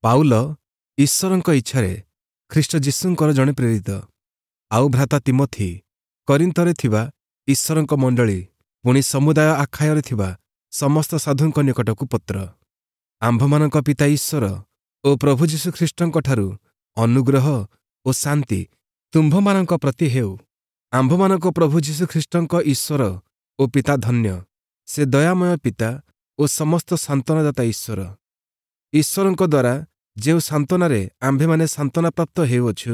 Paul ଈଶ୍ୱରଙ୍କ ଇଚ୍ଛାରେ ଖ୍ରୀଷ୍ଟ ଯୀଶୁଙ୍କର ଜଣେ ପ୍ରେରିତ, ଆଉ ଭ୍ରାତା ତୀମଥି, କରିନ୍ଥରେ ଥିବା ଈଶ୍ୱରଙ୍କ ମଣ୍ଡଳୀ, ପୁଣି ସମୁଦାୟ ଆଖାୟରେ ଥିବା ସମସ୍ତ ସାଧୁଙ୍କ ନିକଟକୁ ପତ୍ର। ଆମ୍ଭମାନଙ୍କ ପିତା ଈଶ୍ୱର ଓ ପ୍ରଭୁ ଯୀଶୁଖ୍ରୀଷ୍ଟଙ୍କଠାରୁ ଅନୁଗ୍ରହ ଓ ଶାନ୍ତି ତୁମ୍ଭମାନଙ୍କ ପ୍ରତି ହେଉ। ଆମ୍ଭମାନଙ୍କ ପ୍ରଭୁ ଯୀଶୁଖ୍ରୀଷ୍ଟଙ୍କ ଈଶ୍ୱର ଓ ପିତା ଧନ୍ୟ। ସେ ଦୟାମୟ ପିତା ଓ ସମସ୍ତ ସାନ୍ତ୍ୱନାଦାତା ଈଶ୍ୱର। ଈଶ୍ୱରଙ୍କ ଦ୍ୱାରା ଯେଉଁ ସାନ୍ତ୍ୱନାରେ ଆମ୍ଭେମାନେ ସାନ୍ତ୍ୱନାପ୍ରାପ୍ତ ହେଉଅଛୁ,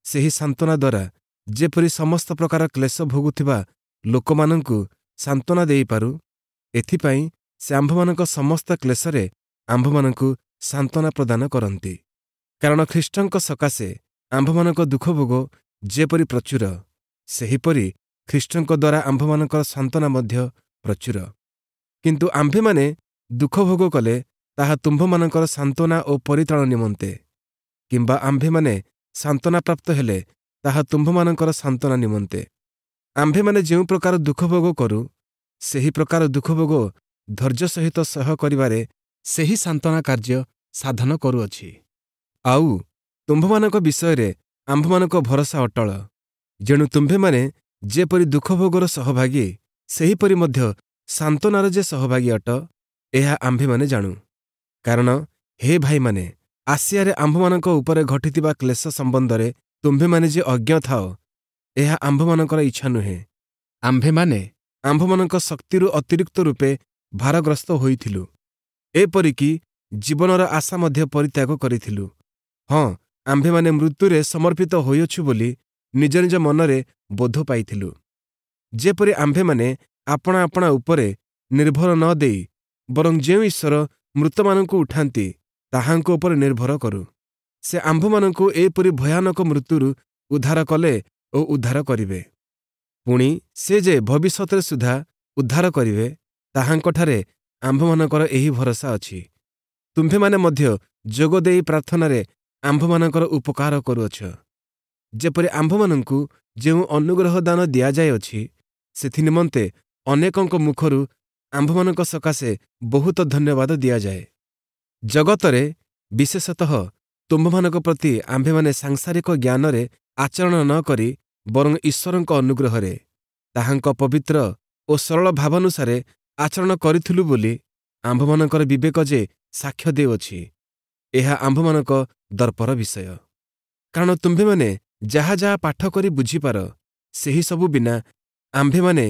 ସେହି ସାନ୍ତ୍ୱନା ଦ୍ୱାରା ଯେପରି ସମସ୍ତ ପ୍ରକାର କ୍ଲେଶ ଭୋଗୁଥିବା ଲୋକମାନଙ୍କୁ ସାନ୍ତ୍ୱନା ଦେଇପାରୁ, ଏଥିପାଇଁ ସେ ଆମ୍ଭମାନଙ୍କ ସମସ୍ତ କ୍ଲେଶରେ ଆମ୍ଭମାନଙ୍କୁ ସାନ୍ତ୍ୱନା ପ୍ରଦାନ କରନ୍ତି। କାରଣ ଖ୍ରୀଷ୍ଟଙ୍କ ସକାଶେ ଆମ୍ଭମାନଙ୍କ ଦୁଃଖଭୋଗ ଯେପରି ପ୍ରଚୁର, ସେହିପରି ଖ୍ରୀଷ୍ଟଙ୍କ ଦ୍ୱାରା ଆମ୍ଭମାନଙ୍କର ସାନ୍ତ୍ୱନା ମଧ୍ୟ ପ୍ରଚୁର। କିନ୍ତୁ ଆମ୍ଭେମାନେ ଦୁଃଖଭୋଗ କଲେ ତାହା ତୁମ୍ଭମାନଙ୍କର ସାନ୍ତ୍ୱନା ଓ ପରିତ୍ରାଣ ନିମନ୍ତେ, କିମ୍ବା ଆମ୍ଭେମାନେ ସାନ୍ତ୍ୱନାପ୍ରାପ୍ତ ହେଲେ ତାହା ତୁମ୍ଭମାନଙ୍କର ସାନ୍ତ୍ୱନା ନିମନ୍ତେ। ଆମ୍ଭେମାନେ ଯେଉଁ ପ୍ରକାର ଦୁଃଖଭୋଗ କରୁ, ସେହି ପ୍ରକାର ଦୁଃଖଭୋଗ ଧୈର୍ଯ୍ୟ ସହିତ ସହ୍ୟ କରିବାରେ ସେହି ସାନ୍ତ୍ୱନା କାର୍ଯ୍ୟ ସାଧନ କରୁଅଛି। ଆଉ ତୁମ୍ଭମାନଙ୍କ ବିଷୟରେ ଆମ୍ଭମାନଙ୍କ ଭରସା ଅଟଳ। ଯେଣୁ ତୁମ୍ଭେମାନେ ଯେପରି ଦୁଃଖଭୋଗର ସହଭାଗୀ, ସେହିପରି ମଧ୍ୟ ସାନ୍ତ୍ୱନାର ଯେ ସହଭାଗୀ ଅଟ, ଏହା ଆମ୍ଭେମାନେ ଜାଣୁ। କାରଣ ହେ ଭାଇମାନେ, ଆସିଆରେ ଆମ୍ଭମାନଙ୍କ ଉପରେ ଘଟିଥିବା କ୍ଲେଶ ସମ୍ବନ୍ଧରେ ତୁମ୍ଭେମାନେ ଯେ ଅଜ୍ଞ ଥାଅ, ଏହା ଆମ୍ଭମାନଙ୍କର ଇଚ୍ଛା ନୁହେଁ। ଆମ୍ଭେମାନେ ଆମ୍ଭମାନଙ୍କ ଶକ୍ତିରୁ ଅତିରିକ୍ତ ରୂପେ ଭାରଗ୍ରସ୍ତ ହୋଇଥିଲୁ, ଏପରିକି ଜୀବନର ଆଶା ମଧ୍ୟ ପରିତ୍ୟାଗ କରିଥିଲୁ। ହଁ, ଆମ୍ଭେମାନେ ମୃତ୍ୟୁରେ ସମର୍ପିତ ହୋଇଅଛୁ ବୋଲି ନିଜ ନିଜ ମନରେ ବୋଧ ପାଇଥିଲୁ। ଯେପରି ଆମ୍ଭେମାନେ ଆପଣା ଆପଣା ଉପରେ ନିର୍ଭର ନ ଦେଇ ବରଂ ଯେଉଁ ଈଶ୍ୱର ମୃତମାନଙ୍କୁ ଉଠାନ୍ତି, ତାହାଙ୍କ ଉପରେ ନିର୍ଭର କରୁ। ସେ ଆମ୍ଭମାନଙ୍କୁ ଏପରି ଭୟାନକ ମୃତ୍ୟୁରୁ ଉଦ୍ଧାର କଲେ ଓ ଉଦ୍ଧାର କରିବେ। ପୁଣି ସେ ଯେ ଭବିଷ୍ୟତରେ ସୁଦ୍ଧା ଉଦ୍ଧାର କରିବେ, ତାହାଙ୍କଠାରେ ଆମ୍ଭମାନଙ୍କର ଏହି ଭରସା ଅଛି। ତୁମ୍ଭେମାନେ ମଧ୍ୟ ଯୋଗ ଦେଇ ପ୍ରାର୍ଥନାରେ ଆମ୍ଭମାନଙ୍କର ଉପକାର କରୁଅଛ, ଯେପରି ଆମ୍ଭମାନଙ୍କୁ ଯେଉଁ ଅନୁଗ୍ରହ ଦାନ ଦିଆଯାଇଅଛି, ସେଥିନିମନ୍ତେ ଅନେକଙ୍କ ମୁଖରୁ ଆମ୍ଭମାନଙ୍କ ସକାଶେ ବହୁତ ଧନ୍ୟବାଦ ଦିଆଯାଏ। ଜଗତରେ ବିଶେଷତଃ ତୁମ୍ଭମାନଙ୍କ ପ୍ରତି ଆମ୍ଭେମାନେ ସାଂସାରିକ ଜ୍ଞାନରେ ଆଚରଣ ନ କରି ବରଂ ଈଶ୍ୱରଙ୍କ ଅନୁଗ୍ରହରେ ତାହାଙ୍କ ପବିତ୍ର ଓ ସରଳ ଭାବାନୁସାରେ ଆଚରଣ କରିଥିଲୁ ବୋଲି ଆମ୍ଭମାନଙ୍କର ବିବେକ ଯେ ସାକ୍ଷ୍ୟ ଦେଉଅଛି, ଏହା ଆମ୍ଭମାନଙ୍କ ଦର୍ପର ବିଷୟ। କାରଣ ତୁମ୍ଭେମାନେ ଯାହା ଯାହା ପାଠ କରି ବୁଝିପାର, ସେହି ସବୁ ବିନା ଆମ୍ଭେମାନେ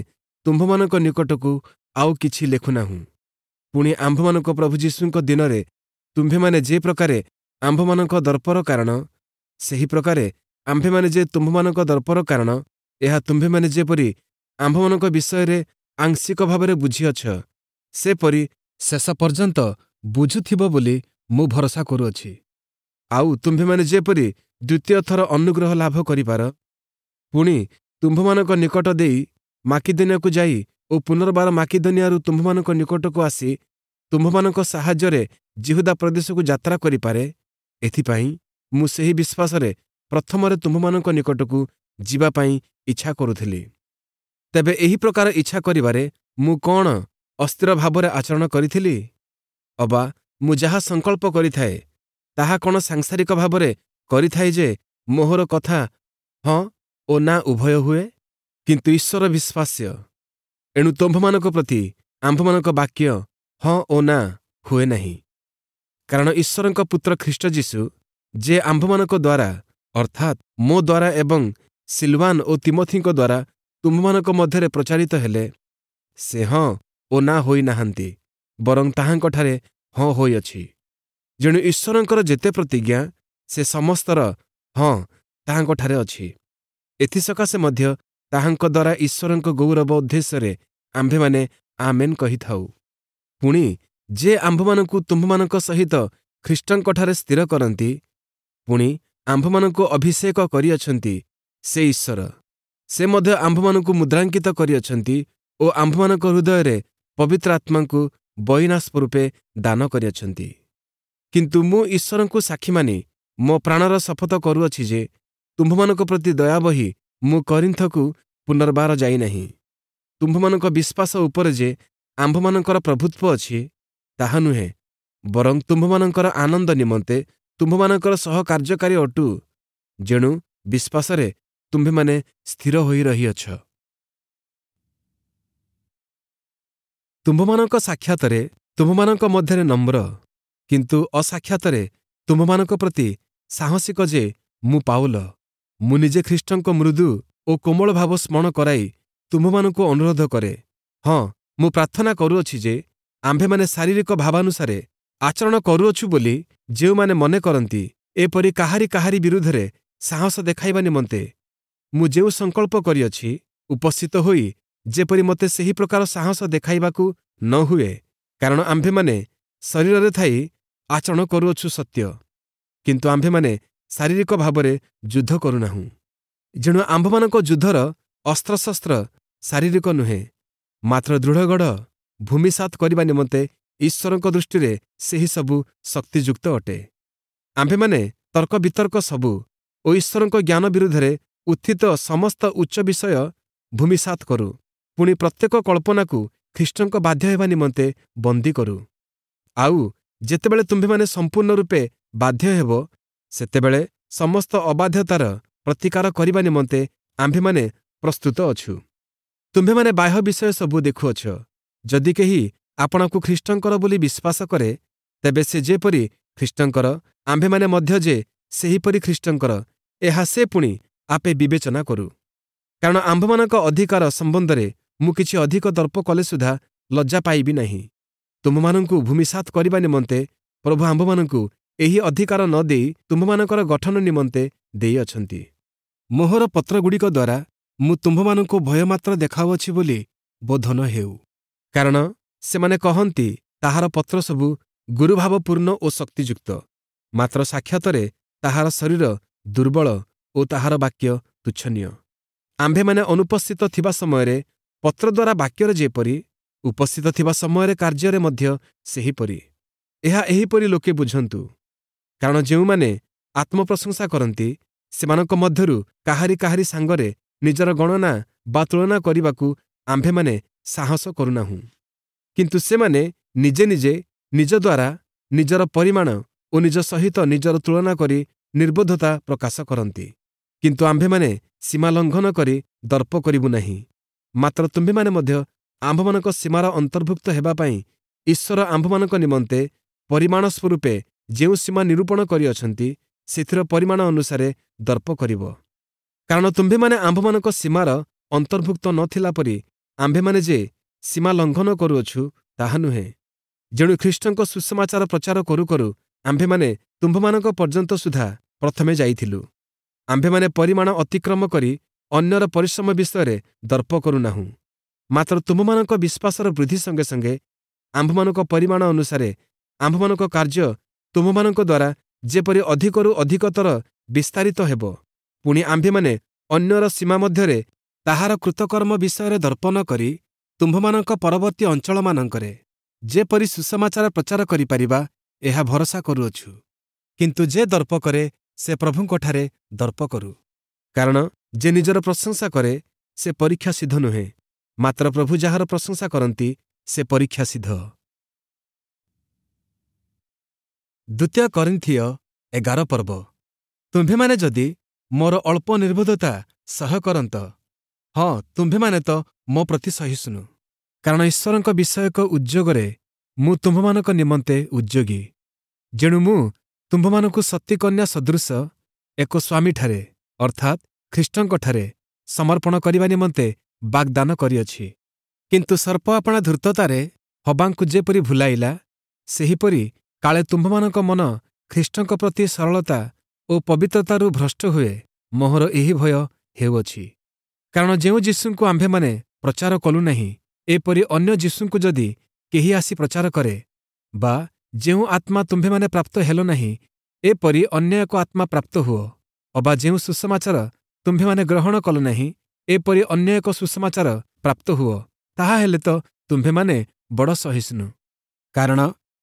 ତୁମ୍ଭମାନଙ୍କ ନିକଟକୁ ଆଉ କିଛି ଲେଖୁନାହୁଁ। ପୁଣି ଆମ୍ଭମାନଙ୍କ ପ୍ରଭୁ ଯୀଶୁଙ୍କ ଦିନରେ ତୁମ୍ଭେମାନେ ଯେ ପ୍ରକାରେ ଆମ୍ଭମାନଙ୍କ ଦର୍ପର କାରଣ, ସେହି ପ୍ରକାରେ ଆମ୍ଭେମାନେ ଯେ ତୁମ୍ଭମାନଙ୍କ ଦର୍ପର କାରଣ, ଏହା ତୁମ୍ଭେମାନେ ଯେପରି ଆମ୍ଭମାନଙ୍କ ବିଷୟରେ ଆଂଶିକ ଭାବରେ ବୁଝିଅଛ, ସେପରି ଶେଷ ପର୍ଯ୍ୟନ୍ତ ବୁଝୁଥିବ ବୋଲି ମୁଁ ଭରସା କରୁଅଛି। ଆଉ ତୁମ୍ଭେମାନେ ଯେପରି ଦ୍ୱିତୀୟ ଥର ଅନୁଗ୍ରହ ଲାଭ କରିପାର, ପୁଣି ତୁମ୍ଭମାନଙ୍କ ନିକଟ ଦେଇ ମାକିଦନିଆକୁ ଯାଇ ଓ ପୁନର୍ବାର ମାକିଦନିଆରୁ ତୁମ୍ଭମାନଙ୍କ ନିକଟକୁ ଆସି ତୁମ୍ଭମାନଙ୍କ ସାହାଯ୍ୟରେ ଯିହୁଦା ପ୍ରଦେଶକୁ ଯାତ୍ରା କରିପାରେ, ଏଥିପାଇଁ ମୁଁ ସେହି ବିଶ୍ୱାସରେ ପ୍ରଥମରେ ତୁମ୍ଭମାନଙ୍କ ନିକଟକୁ ଯିବା ପାଇଁ ଇଚ୍ଛା କରୁଥିଲି। ତେବେ ଏହି ପ୍ରକାର ଇଚ୍ଛା କରିବାରେ ମୁଁ କ'ଣ ଅସ୍ଥିର ଭାବରେ ଆଚରଣ କରିଥିଲି? ଅବା ମୁଁ ଯାହା ସଂକଳ୍ପ କରିଥାଏ, ତାହା କ'ଣ ସାଂସାରିକ ଭାବରେ କରିଥାଏ ଯେ ମୋହର କଥା ହଁ ଓ ନା ଉଭୟ ହୁଏ? କିନ୍ତୁ ଈଶ୍ୱର ବିଶ୍ୱାସ୍ୟ। ଏଣୁ ତୁମ୍ଭମାନଙ୍କ ପ୍ରତି ଆମ୍ଭମାନଙ୍କ ବାକ୍ୟ ହଁ ଓ ନା ହୁଏ ନାହିଁ। କାରଣ ଈଶ୍ୱରଙ୍କ ପୁତ୍ର ଖ୍ରୀଷ୍ଟ ଯୀଶୁ ଯେ ଆମ୍ଭମାନଙ୍କ ଦ୍ୱାରା, ଅର୍ଥାତ୍ ମୋ ଦ୍ୱାରା ଏବଂ ସିଲୱାନ ଓ ତିମଥିଙ୍କ ଦ୍ୱାରା ତୁମ୍ଭମାନଙ୍କ ମଧ୍ୟରେ ପ୍ରଚାରିତ ହେଲେ, ସେ ହଁ ଓ ନା ହୋଇନାହାନ୍ତି, ବରଂ ତାହାଙ୍କଠାରେ ହଁ ହୋଇଅଛି। ଯେଣୁ ଈଶ୍ୱରଙ୍କର ଯେତେ ପ୍ରତିଜ୍ଞା, ସେ ସମସ୍ତର ହଁ ତାହାଙ୍କଠାରେ ଅଛି। ଏଥିସକାଶେ ମଧ୍ୟ ତାହାଙ୍କ ଦ୍ୱାରା ଈଶ୍ୱରଙ୍କ ଗୌରବ ଉଦ୍ଦେଶ୍ୟରେ ଆମ୍ଭେମାନେ ଆମେନ୍ କହିଥାଉ। ପୁଣି ଯେ ଆମ୍ଭମାନଙ୍କୁ ତୁମ୍ଭମାନଙ୍କ ସହିତ ଖ୍ରୀଷ୍ଟଙ୍କଠାରେ ସ୍ଥିର କରନ୍ତି, ପୁଣି ଆମ୍ଭମାନଙ୍କୁ ଅଭିଷେକ କରିଅଛନ୍ତି, ସେ ଈଶ୍ୱର। ସେ ମଧ୍ୟ ଆମ୍ଭମାନଙ୍କୁ ମୁଦ୍ରାଙ୍କିତ କରିଅଛନ୍ତି ଓ ଆମ୍ଭମାନଙ୍କ ହୃଦୟରେ ପବିତ୍ର ଆତ୍ମାଙ୍କୁ ବଇନା ରୂପେ ଦାନ କରିଅଛନ୍ତି। କିନ୍ତୁ ମୁଁ ଈଶ୍ୱରଙ୍କୁ ସାକ୍ଷୀ ମାନି ମୋ ପ୍ରାଣର ଶପଥ କରୁଅଛି ଯେ ତୁମ୍ଭମାନଙ୍କ ପ୍ରତି ଦୟା ବହି ମୁଁ କରିନ୍ଥକୁ ପୁନର୍ବାର ଯାଇନାହିଁ। ତୁମ୍ଭମାନଙ୍କ ବିଶ୍ୱାସ ଉପରେ ଯେ ଆମ୍ଭମାନଙ୍କର ପ୍ରଭୁତ୍ୱ ଅଛି, ତାହା ନୁହେଁ, ବରଂ ତୁମ୍ଭମାନଙ୍କର ଆନନ୍ଦ ନିମନ୍ତେ ତୁମ୍ଭମାନଙ୍କର ସହ କାର୍ଯ୍ୟକାରୀ ଅଟୁ, ଯେଣୁ ବିଶ୍ୱାସରେ ତୁମ୍ଭେମାନେ ସ୍ଥିର ହୋଇ ରହିଅଛ। ତୁମ୍ଭମାନଙ୍କ ସାକ୍ଷାତରେ ତୁମ୍ଭମାନଙ୍କ ମଧ୍ୟରେ ନମ୍ର, କିନ୍ତୁ ଅସାକ୍ଷାତରେ ତୁମ୍ଭମାନଙ୍କ ପ୍ରତି ସାହସିକ ଯେ ମୁଁ ପାଉଲ, ମୁଁ ନିଜେ ଖ୍ରୀଷ୍ଟଙ୍କ ମୃଦୁ ଓ କୋମଳ ଭାବ ସ୍ମରଣ କରାଇ ତୁମ୍ଭମାନଙ୍କୁ ଅନୁରୋଧ କରେ। ହଁ, ମୁଁ ପ୍ରାର୍ଥନା କରୁଅଛି ଯେ ଆମ୍ଭେମାନେ ଶାରୀରିକ ଭାବାନୁସାରେ ଆଚରଣ କରୁଅଛୁ ବୋଲି ଯେଉଁମାନେ ମନେ କରନ୍ତି, ଏପରି କାହାରି କାହାରି ବିରୁଦ୍ଧରେ ସାହସ ଦେଖାଇବା ନିମନ୍ତେ ମୁଁ ଯେଉଁ ସଂକଳ୍ପ କରିଅଛି, ଉପସ୍ଥିତ ହୋଇ ଯେପରି ମୋତେ ସେହି ପ୍ରକାର ସାହସ ଦେଖାଇବାକୁ ନ ହୁଏ। କାରଣ ଆମ୍ଭେମାନେ ଶରୀରରେ ଥାଇ ଆଚରଣ କରୁଅଛୁ ସତ୍ୟ, କିନ୍ତୁ ଆମ୍ଭେମାନେ ଶାରୀରିକ ଭାବରେ ଯୁଦ୍ଧ କରୁନାହୁଁ। ଯେଣୁ ଆମ୍ଭମାନଙ୍କ ଯୁଦ୍ଧର ଅସ୍ତ୍ରଶସ୍ତ୍ର ଶାରୀରିକ ନୁହେଁ, ମାତ୍ର ଦୃଢ଼ଗଢ଼ ଭୂମିସାତ କରିବା ନିମନ୍ତେ ଈଶ୍ୱରଙ୍କ ଦୃଷ୍ଟିରେ ସେହି ସବୁ ଶକ୍ତିଯୁକ୍ତ ଅଟେ। ଆମ୍ଭେମାନେ ତର୍କ ବିତର୍କ ସବୁ ଓ ଈଶ୍ୱରଙ୍କ ଜ୍ଞାନ ବିରୁଦ୍ଧରେ ଉତ୍ଥିତ ସମସ୍ତ ଉଚ୍ଚ ବିଷୟ ଭୂମିସାତ କରୁ, ପୁଣି ପ୍ରତ୍ୟେକ କଳ୍ପନାକୁ ଖ୍ରୀଷ୍ଟଙ୍କ ବାଧ୍ୟ ହେବା ନିମନ୍ତେ ବନ୍ଦୀ କରୁ। ଆଉ ଯେତେବେଳେ ତୁମ୍ଭେମାନେ ସମ୍ପୂର୍ଣ୍ଣ ରୂପେ ବାଧ୍ୟ ହେବ, ସେତେବେଳେ ସମସ୍ତ ଅବାଧ୍ୟତାର ପ୍ରତିକାର କରିବା ନିମନ୍ତେ ଆମ୍ଭେମାନେ ପ୍ରସ୍ତୁତ ଅଛୁ। ତୁମ୍ଭେମାନେ ବାହ୍ୟ ବିଷୟ ସବୁ ଦେଖୁଅଛ। ଯଦି କେହି ଆପଣାକୁ ଖ୍ରୀଷ୍ଟଙ୍କର ବୋଲି ବିଶ୍ୱାସ କରେ, ତେବେ ସେ ଯେପରି ଖ୍ରୀଷ୍ଟଙ୍କର, ଆମ୍ଭେମାନେ ମଧ୍ୟ ଯେ ସେହିପରି ଖ୍ରୀଷ୍ଟଙ୍କର, ଏହା ସେ ପୁଣି ଆପେ ବିବେଚନା କରୁ। କାରଣ ଆମ୍ଭମାନଙ୍କ ଅଧିକାର ସମ୍ବନ୍ଧରେ ମୁଁ କିଛି ଅଧିକ ଦର୍ପ କଲେ ସୁଦ୍ଧା ଲଜ୍ଜା ପାଇବି ନାହିଁ। ତୁମ୍ଭମାନଙ୍କୁ ଭୂମିସାତ କରିବା ନିମନ୍ତେ ପ୍ରଭୁ ଆମ୍ଭମାନଙ୍କୁ ଏହି ଅଧିକାର ନ ଦେଇ ତୁମ୍ଭମାନଙ୍କର ଗଠନ ନିମନ୍ତେ ଦେଇଅଛନ୍ତି। ମୋହର ପତ୍ରଗୁଡ଼ିକ ଦ୍ୱାରା ମୁଁ ତୁମ୍ଭମାନଙ୍କୁ ଭୟମାତ୍ର ଦେଖାଉଅଛି ବୋଲି ବୋଧ ନ ହେଉ। କାରଣ ସେମାନେ କହନ୍ତି, ତାହାର ପତ୍ର ସବୁ ଗୁରୁଭାବପୂର୍ଣ୍ଣ ଓ ଶକ୍ତିଯୁକ୍ତ, ମାତ୍ର ସାକ୍ଷାତରେ ତାହାର ଶରୀର ଦୁର୍ବଳ ଓ ତାହାର ବାକ୍ୟ ତୁଚ୍ଛନୀୟ। ଆମ୍ଭେମାନେ ଅନୁପସ୍ଥିତ ଥିବା ସମୟରେ ପତ୍ର ଦ୍ୱାରା ବାକ୍ୟରେ ଯେପରି, ଉପସ୍ଥିତ ଥିବା ସମୟରେ କାର୍ଯ୍ୟରେ ମଧ୍ୟ ସେହିପରି। ଏହା ଏହିପରି ଲୋକେ ବୁଝନ୍ତୁ। କାରଣ ଯେଉଁମାନେ ଆତ୍ମପ୍ରଶଂସା କରନ୍ତି, ସେମାନଙ୍କ ମଧ୍ୟରୁ କାହାରି କାହାରି ସାଙ୍ଗରେ ନିଜର ଗଣନା ବା ତୁଳନା କରିବାକୁ ଆମ୍ଭେମାନେ ସାହସ କରୁନାହୁଁ। କିନ୍ତୁ ସେମାନେ ନିଜେ ନିଜେ ନିଜ ଦ୍ୱାରା ନିଜର ପରିମାଣ ଓ ନିଜ ସହିତ ନିଜର ତୁଳନା କରି ନିର୍ବୋଧତା ପ୍ରକାଶ କରନ୍ତି। କିନ୍ତୁ ଆମ୍ଭେମାନେ ସୀମା ଲଙ୍ଘନ କରି ଦର୍ପ କରିବୁ ନାହିଁ, ମାତ୍ର ତୁମ୍ଭେମାନେ ମଧ୍ୟ ଆମ୍ଭମାନଙ୍କ ସୀମାର ଅନ୍ତର୍ଭୁକ୍ତ ହେବା ପାଇଁ ଈଶ୍ୱର ଆମ୍ଭମାନଙ୍କ ନିମନ୍ତେ ପରିମାଣ ସ୍ୱରୂପେ ଯେଉଁ ସୀମା ନିରୂପଣ କରିଅଛନ୍ତି, ସେଥିର ପରିମାଣ ଅନୁସାରେ ଦର୍ପ କରିବ। କାରଣ ତୁମ୍ଭେମାନେ ଆମ୍ଭମାନଙ୍କ ସୀମାର ଅନ୍ତର୍ଭୁକ୍ତ ନଥିଲା ପରି ଆମ୍ଭେମାନେ ଯେ ସୀମା ଲଙ୍ଘନ କରୁଅଛୁ ତାହା ନୁହେଁ। ଯେଣୁ ଖ୍ରୀଷ୍ଟଙ୍କ ସୁସମାଚାର ପ୍ରଚାର କରୁ କରୁ ଆମ୍ଭେମାନେ ତୁମ୍ଭମାନଙ୍କ ପର୍ଯ୍ୟନ୍ତ ସୁଦ୍ଧା ପ୍ରଥମେ ଯାଇଥିଲୁ। ଆମ୍ଭେମାନେ ପରିମାଣ ଅତିକ୍ରମ କରି ଅନ୍ୟର ପରିଶ୍ରମ ବିଷୟରେ ଦର୍ପ କରୁନାହୁଁ, ମାତ୍ର ତୁମ୍ଭମାନଙ୍କ ବିଶ୍ୱାସର ବୃଦ୍ଧି ସଙ୍ଗେ ସଙ୍ଗେ ଆମ୍ଭମାନଙ୍କ ପରିମାଣ ଅନୁସାରେ ଆମ୍ଭମାନଙ୍କ କାର୍ଯ୍ୟ ତୁମ୍ଭମାନଙ୍କ ଦ୍ୱାରା ଯେପରି ଅଧିକରୁ ଅଧିକତର ବିସ୍ତାରିତ ହେବ, ପୁଣି ଆମ୍ଭେମାନେ ଅନ୍ୟର ସୀମା ମଧ୍ୟରେ ତାହାର କୃତକର୍ମ ବିଷୟରେ ଦର୍ପ ନ କରି ତୁମ୍ଭମାନଙ୍କ ପରବର୍ତ୍ତୀ ଅଞ୍ଚଳମାନଙ୍କରେ ଯେପରି ସୁସମାଚାର ପ୍ରଚାର କରିପାରିବା, ଏହା ଭରସା କରୁଅଛୁ। କିନ୍ତୁ ଯେ ଦର୍ପ କରେ, ସେ ପ୍ରଭୁଙ୍କଠାରେ ଦର୍ପ କରୁ। କାରଣ ଯେ ନିଜର ପ୍ରଶଂସା କରେ, ସେ ପରୀକ୍ଷା ସିଦ୍ଧ ନୁହେଁ, ମାତ୍ର ପ୍ରଭୁ ଯାହାର ପ୍ରଶଂସା କରନ୍ତି, ସେ ପରୀକ୍ଷା ସିଦ୍ଧ। ଦ୍ୱିତୀୟ କରିନ୍ଥୀୟ 11 ପର୍ବ। ତୁମ୍ଭେମାନେ ଯଦି ମୋର ଅଳ୍ପ ନିର୍ବୋଧତା ସହ୍ୟ କରନ୍ତ, ହଁ, ତୁମ୍ଭେମାନେ ତ ମୋ ପ୍ରତି ସହିଷ୍ଣୁ। କାରଣ ଈଶ୍ୱରଙ୍କ ବିଷୟକ ଉଦ୍ଯୋଗରେ ମୁଁ ତୁମ୍ଭମାନଙ୍କ ନିମନ୍ତେ ଉଦ୍ଯୋଗୀ। ଯେଣୁ ମୁଁ ତୁମ୍ଭମାନଙ୍କୁ ସତୀକନ୍ୟା ସଦୃଶ ଏକ ସ୍ୱାମୀଠାରେ, ଅର୍ଥାତ୍ ଖ୍ରୀଷ୍ଟଙ୍କଠାରେ ସମର୍ପଣ କରିବା ନିମନ୍ତେ ବାଗ୍ଦାନ କରିଅଛି। କିନ୍ତୁ ସର୍ପ ଆପଣା ଧୂର୍ତ୍ତତାରେ ହବାଙ୍କୁ ଯେପରି ଭୁଲାଇଲା, ସେହିପରି କାଳେ ତୁମ୍ଭମାନଙ୍କ ମନ ଖ୍ରୀଷ୍ଟଙ୍କ ପ୍ରତି ସରଳତା ଓ ପବିତ୍ରତାରୁ ଭ୍ରଷ୍ଟ ହୁଏ, ମୋହର ଏହି ଭୟ ହେଉଅଛି। କାରଣ ଯେଉଁ ଯୀଶୁଙ୍କୁ ଆମ୍ଭେମାନେ ପ୍ରଚାର କଲୁ ନାହିଁ, ଏପରି ଅନ୍ୟ ଯୀଶୁଙ୍କୁ ଯଦି କେହି ଆସି ପ୍ରଚାର କରେ, ବା ଯେଉଁ ଆତ୍ମା ତୁମ୍ଭେମାନେ ପ୍ରାପ୍ତ ହେଲ ନାହିଁ, ଏପରି ଅନ୍ୟ ଏକ ଆତ୍ମା ପ୍ରାପ୍ତ ହୁଅ, ଅବା ଯେଉଁ ସୁସମାଚାର ତୁମ୍ଭେମାନେ ଗ୍ରହଣ କଲ ନାହିଁ, ଏପରି ଅନ୍ୟ ଏକ ସୁସମାଚାର ପ୍ରାପ୍ତ ହୁଅ, ତାହା ହେଲେ ତ ତୁମ୍ଭେମାନେ ବଡ଼ ସହିଷ୍ଣୁ। କାରଣ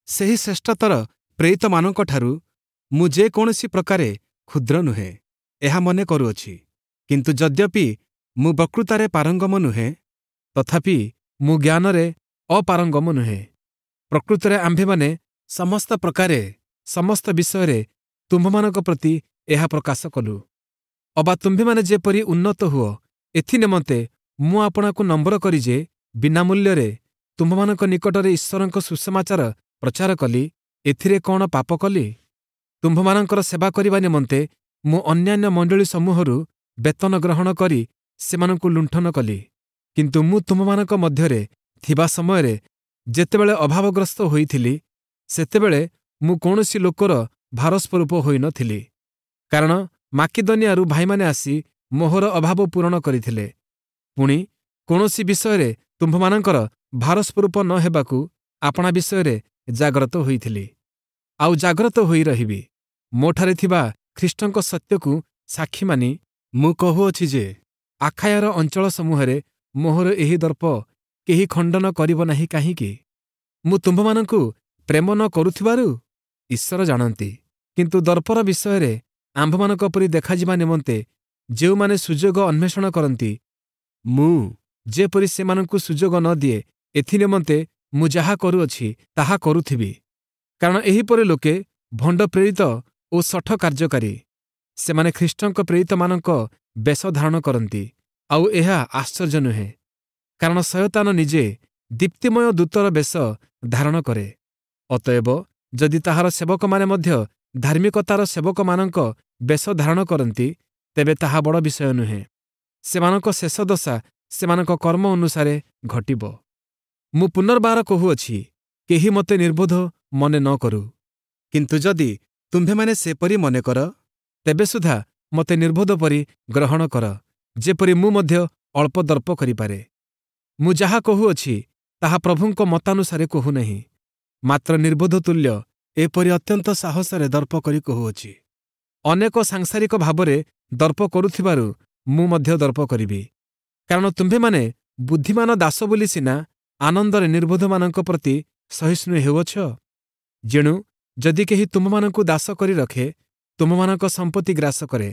ସେହି ଶ୍ରେଷ୍ଠତର ପ୍ରେରିତମାନଙ୍କଠାରୁ ମୁଁ ଯେକୌଣସି ପ୍ରକାରେ କ୍ଷୁଦ୍ର ନୁହେଁ, ଏହା ମନେ କରୁଅଛି। କିନ୍ତୁ ଯଦ୍ୟପି ମୁଁ ବକ୍ତୃତାରେ ପାରଙ୍ଗମ ନୁହେଁ, ତଥାପି ମୁଁ ଜ୍ଞାନରେ ଅପାରଙ୍ଗମ ନୁହେଁ। ପ୍ରକୃତରେ ଆମ୍ଭେମାନେ ସମସ୍ତ ପ୍ରକାରେ ସମସ୍ତ ବିଷୟରେ ତୁମ୍ଭମାନଙ୍କ ପ୍ରତି ଏହା ପ୍ରକାଶ କଲୁ। ଅବା ତୁମ୍ଭେମାନେ ଯେପରି ଉନ୍ନତ ହୁଅ, ଏଥି ନିମନ୍ତେ ମୁଁ ଆପଣାକୁ ନମ୍ର କରି ଯେ ବିନା ମୂଲ୍ୟରେ ତୁମ୍ଭମାନଙ୍କ ନିକଟରେ ଈଶ୍ୱରଙ୍କ ସୁସମାଚାର ପ୍ରଚାର କଲି, ଏଥିରେ କଣ ପାପ କଲି? ତୁମ୍ଭମାନଙ୍କର ସେବା କରିବା ନିମନ୍ତେ ମୁଁ ଅନ୍ୟାନ୍ୟ ମଣ୍ଡଳୀ ସମୂହରୁ ବେତନ ଗ୍ରହଣ କରି ସେମାନଙ୍କୁ ଲୁଣ୍ଠନ କଲି। କିନ୍ତୁ ମୁଁ ତୁମ୍ଭମାନଙ୍କ ମଧ୍ୟରେ ଥିବା ସମୟରେ ଯେତେବେଳେ ଅଭାବଗ୍ରସ୍ତ ହୋଇଥିଲି, ସେତେବେଳେ ମୁଁ କୌଣସି ଲୋକର ଭାରସ୍ୱରୂପ ହୋଇନଥିଲି, କାରଣ ମାକିଦନିଆରୁ ଭାଇମାନେ ଆସି ମୋହର ଅଭାବ ପୂରଣ କରିଥିଲେ। ପୁଣି କୌଣସି ବିଷୟରେ ତୁମ୍ଭମାନଙ୍କର ଭାରସ୍ୱରୂପ ନ ହେବାକୁ ଆପଣା ବିଷୟରେ ଜାଗ୍ରତ ହୋଇଥିଲି, ଆଉ ଜାଗ୍ରତ ହୋଇ ରହିବି। ମୋଠାରେ ଥିବା ଖ୍ରୀଷ୍ଟଙ୍କ ସତ୍ୟକୁ ସାକ୍ଷୀ ମାନି ମୁଁ କହୁଅଛି ଯେ ଆଖାୟାର ଅଞ୍ଚଳ ସମୂହରେ ମୋହର ଏହି ଦର୍ପ କେହି ଖଣ୍ଡନ କରିବ ନାହିଁ। କାହିଁକି? ମୁଁ ତୁମ୍ଭମାନଙ୍କୁ ପ୍ରେମ ନ କରୁଥିବାରୁ? ଈଶ୍ୱର ଜାଣନ୍ତି। କିନ୍ତୁ ଦର୍ପର ବିଷୟରେ ଆମ୍ଭମାନଙ୍କ ପରି ଦେଖାଯିବା ନିମନ୍ତେ ଯେଉଁମାନେ ସୁଯୋଗ ଅନ୍ୱେଷଣ କରନ୍ତି, ମୁଁ ଯେପରି ସେମାନଙ୍କୁ ସୁଯୋଗ ନ ଦିଏ, ଏଥି ନିମନ୍ତେ ମୁଁ ଯାହା କରୁଅଛି ତାହା କରୁଥିବି। କାରଣ ଏହିପରି ଲୋକେ ଭଣ୍ଡ ପ୍ରେରିତ ଓ ଶଠ କାର୍ଯ୍ୟକାରୀ। ସେମାନେ ଖ୍ରୀଷ୍ଟଙ୍କ ପ୍ରେରିତମାନଙ୍କ ବେଶ ଧାରଣ କରନ୍ତି। ଆଉ ଏହା ଆଶ୍ଚର୍ଯ୍ୟ ନୁହେଁ, କାରଣ ଶୟତାନ ନିଜେ ଦୀପ୍ତିମୟ ଦୂତର ବେଶ ଧାରଣ କରେ। ଅତଏବ ଯଦି ତାହାର ସେବକମାନେ ମଧ୍ୟ ଧାର୍ମିକତାର ସେବକମାନଙ୍କ ବେଶ ଧାରଣ କରନ୍ତି, ତେବେ ତାହା ବଡ଼ ବିଷୟ ନୁହେଁ। ସେମାନଙ୍କ ଶେଷ ଦଶା ସେମାନଙ୍କ କର୍ମ ଅନୁସାରେ ଘଟିବ। ମୁଁ ପୁନର୍ବାର କହୁଅଛି, କେହି ମୋତେ ନିର୍ବୋଧ ମନେ ନ କରୁ। କିନ୍ତୁ ଯଦି ତୁମ୍ଭେମାନେ ସେପରି ମନେ କର, ତେବେ ସୁଦ୍ଧା ମୋତେ ନିର୍ବୋଧ ପରି ଗ୍ରହଣ କର, ଯେପରି ମୁଁ ମଧ୍ୟ ଅଳ୍ପ ଦର୍ପ କରିପାରେ। ମୁଁ ଯାହା କହୁଅଛି ତାହା ପ୍ରଭୁଙ୍କ ମତାନୁସାରେ କହୁନାହିଁ, ମାତ୍ର ନିର୍ବୋଧ ତୁଲ୍ୟ ଏପରି ଅତ୍ୟନ୍ତ ସାହସରେ ଦର୍ପ କରି କହୁଅଛି। ଅନେକ ସାଂସାରିକ ଭାବରେ ଦର୍ପ କରୁଥିବାରୁ ମୁଁ ମଧ୍ୟ ଦର୍ପ କରିବି। କାରଣ ତୁମ୍ଭେମାନେ ବୁଦ୍ଧିମାନ ଦାସ ବୋଲି ସିନା ଆନନ୍ଦରେ ନିର୍ବୋଧମାନଙ୍କ ପ୍ରତି ସହିଷ୍ଣୁ ହେଉଅଛ। ଯେଣୁ ଯଦି କେହି ତୁମ୍ଭମାନଙ୍କୁ ଦାସ କରି ରଖେ, ତୁମ୍ଭମାନଙ୍କ ସମ୍ପତ୍ତି ଗ୍ରାସ କରେ,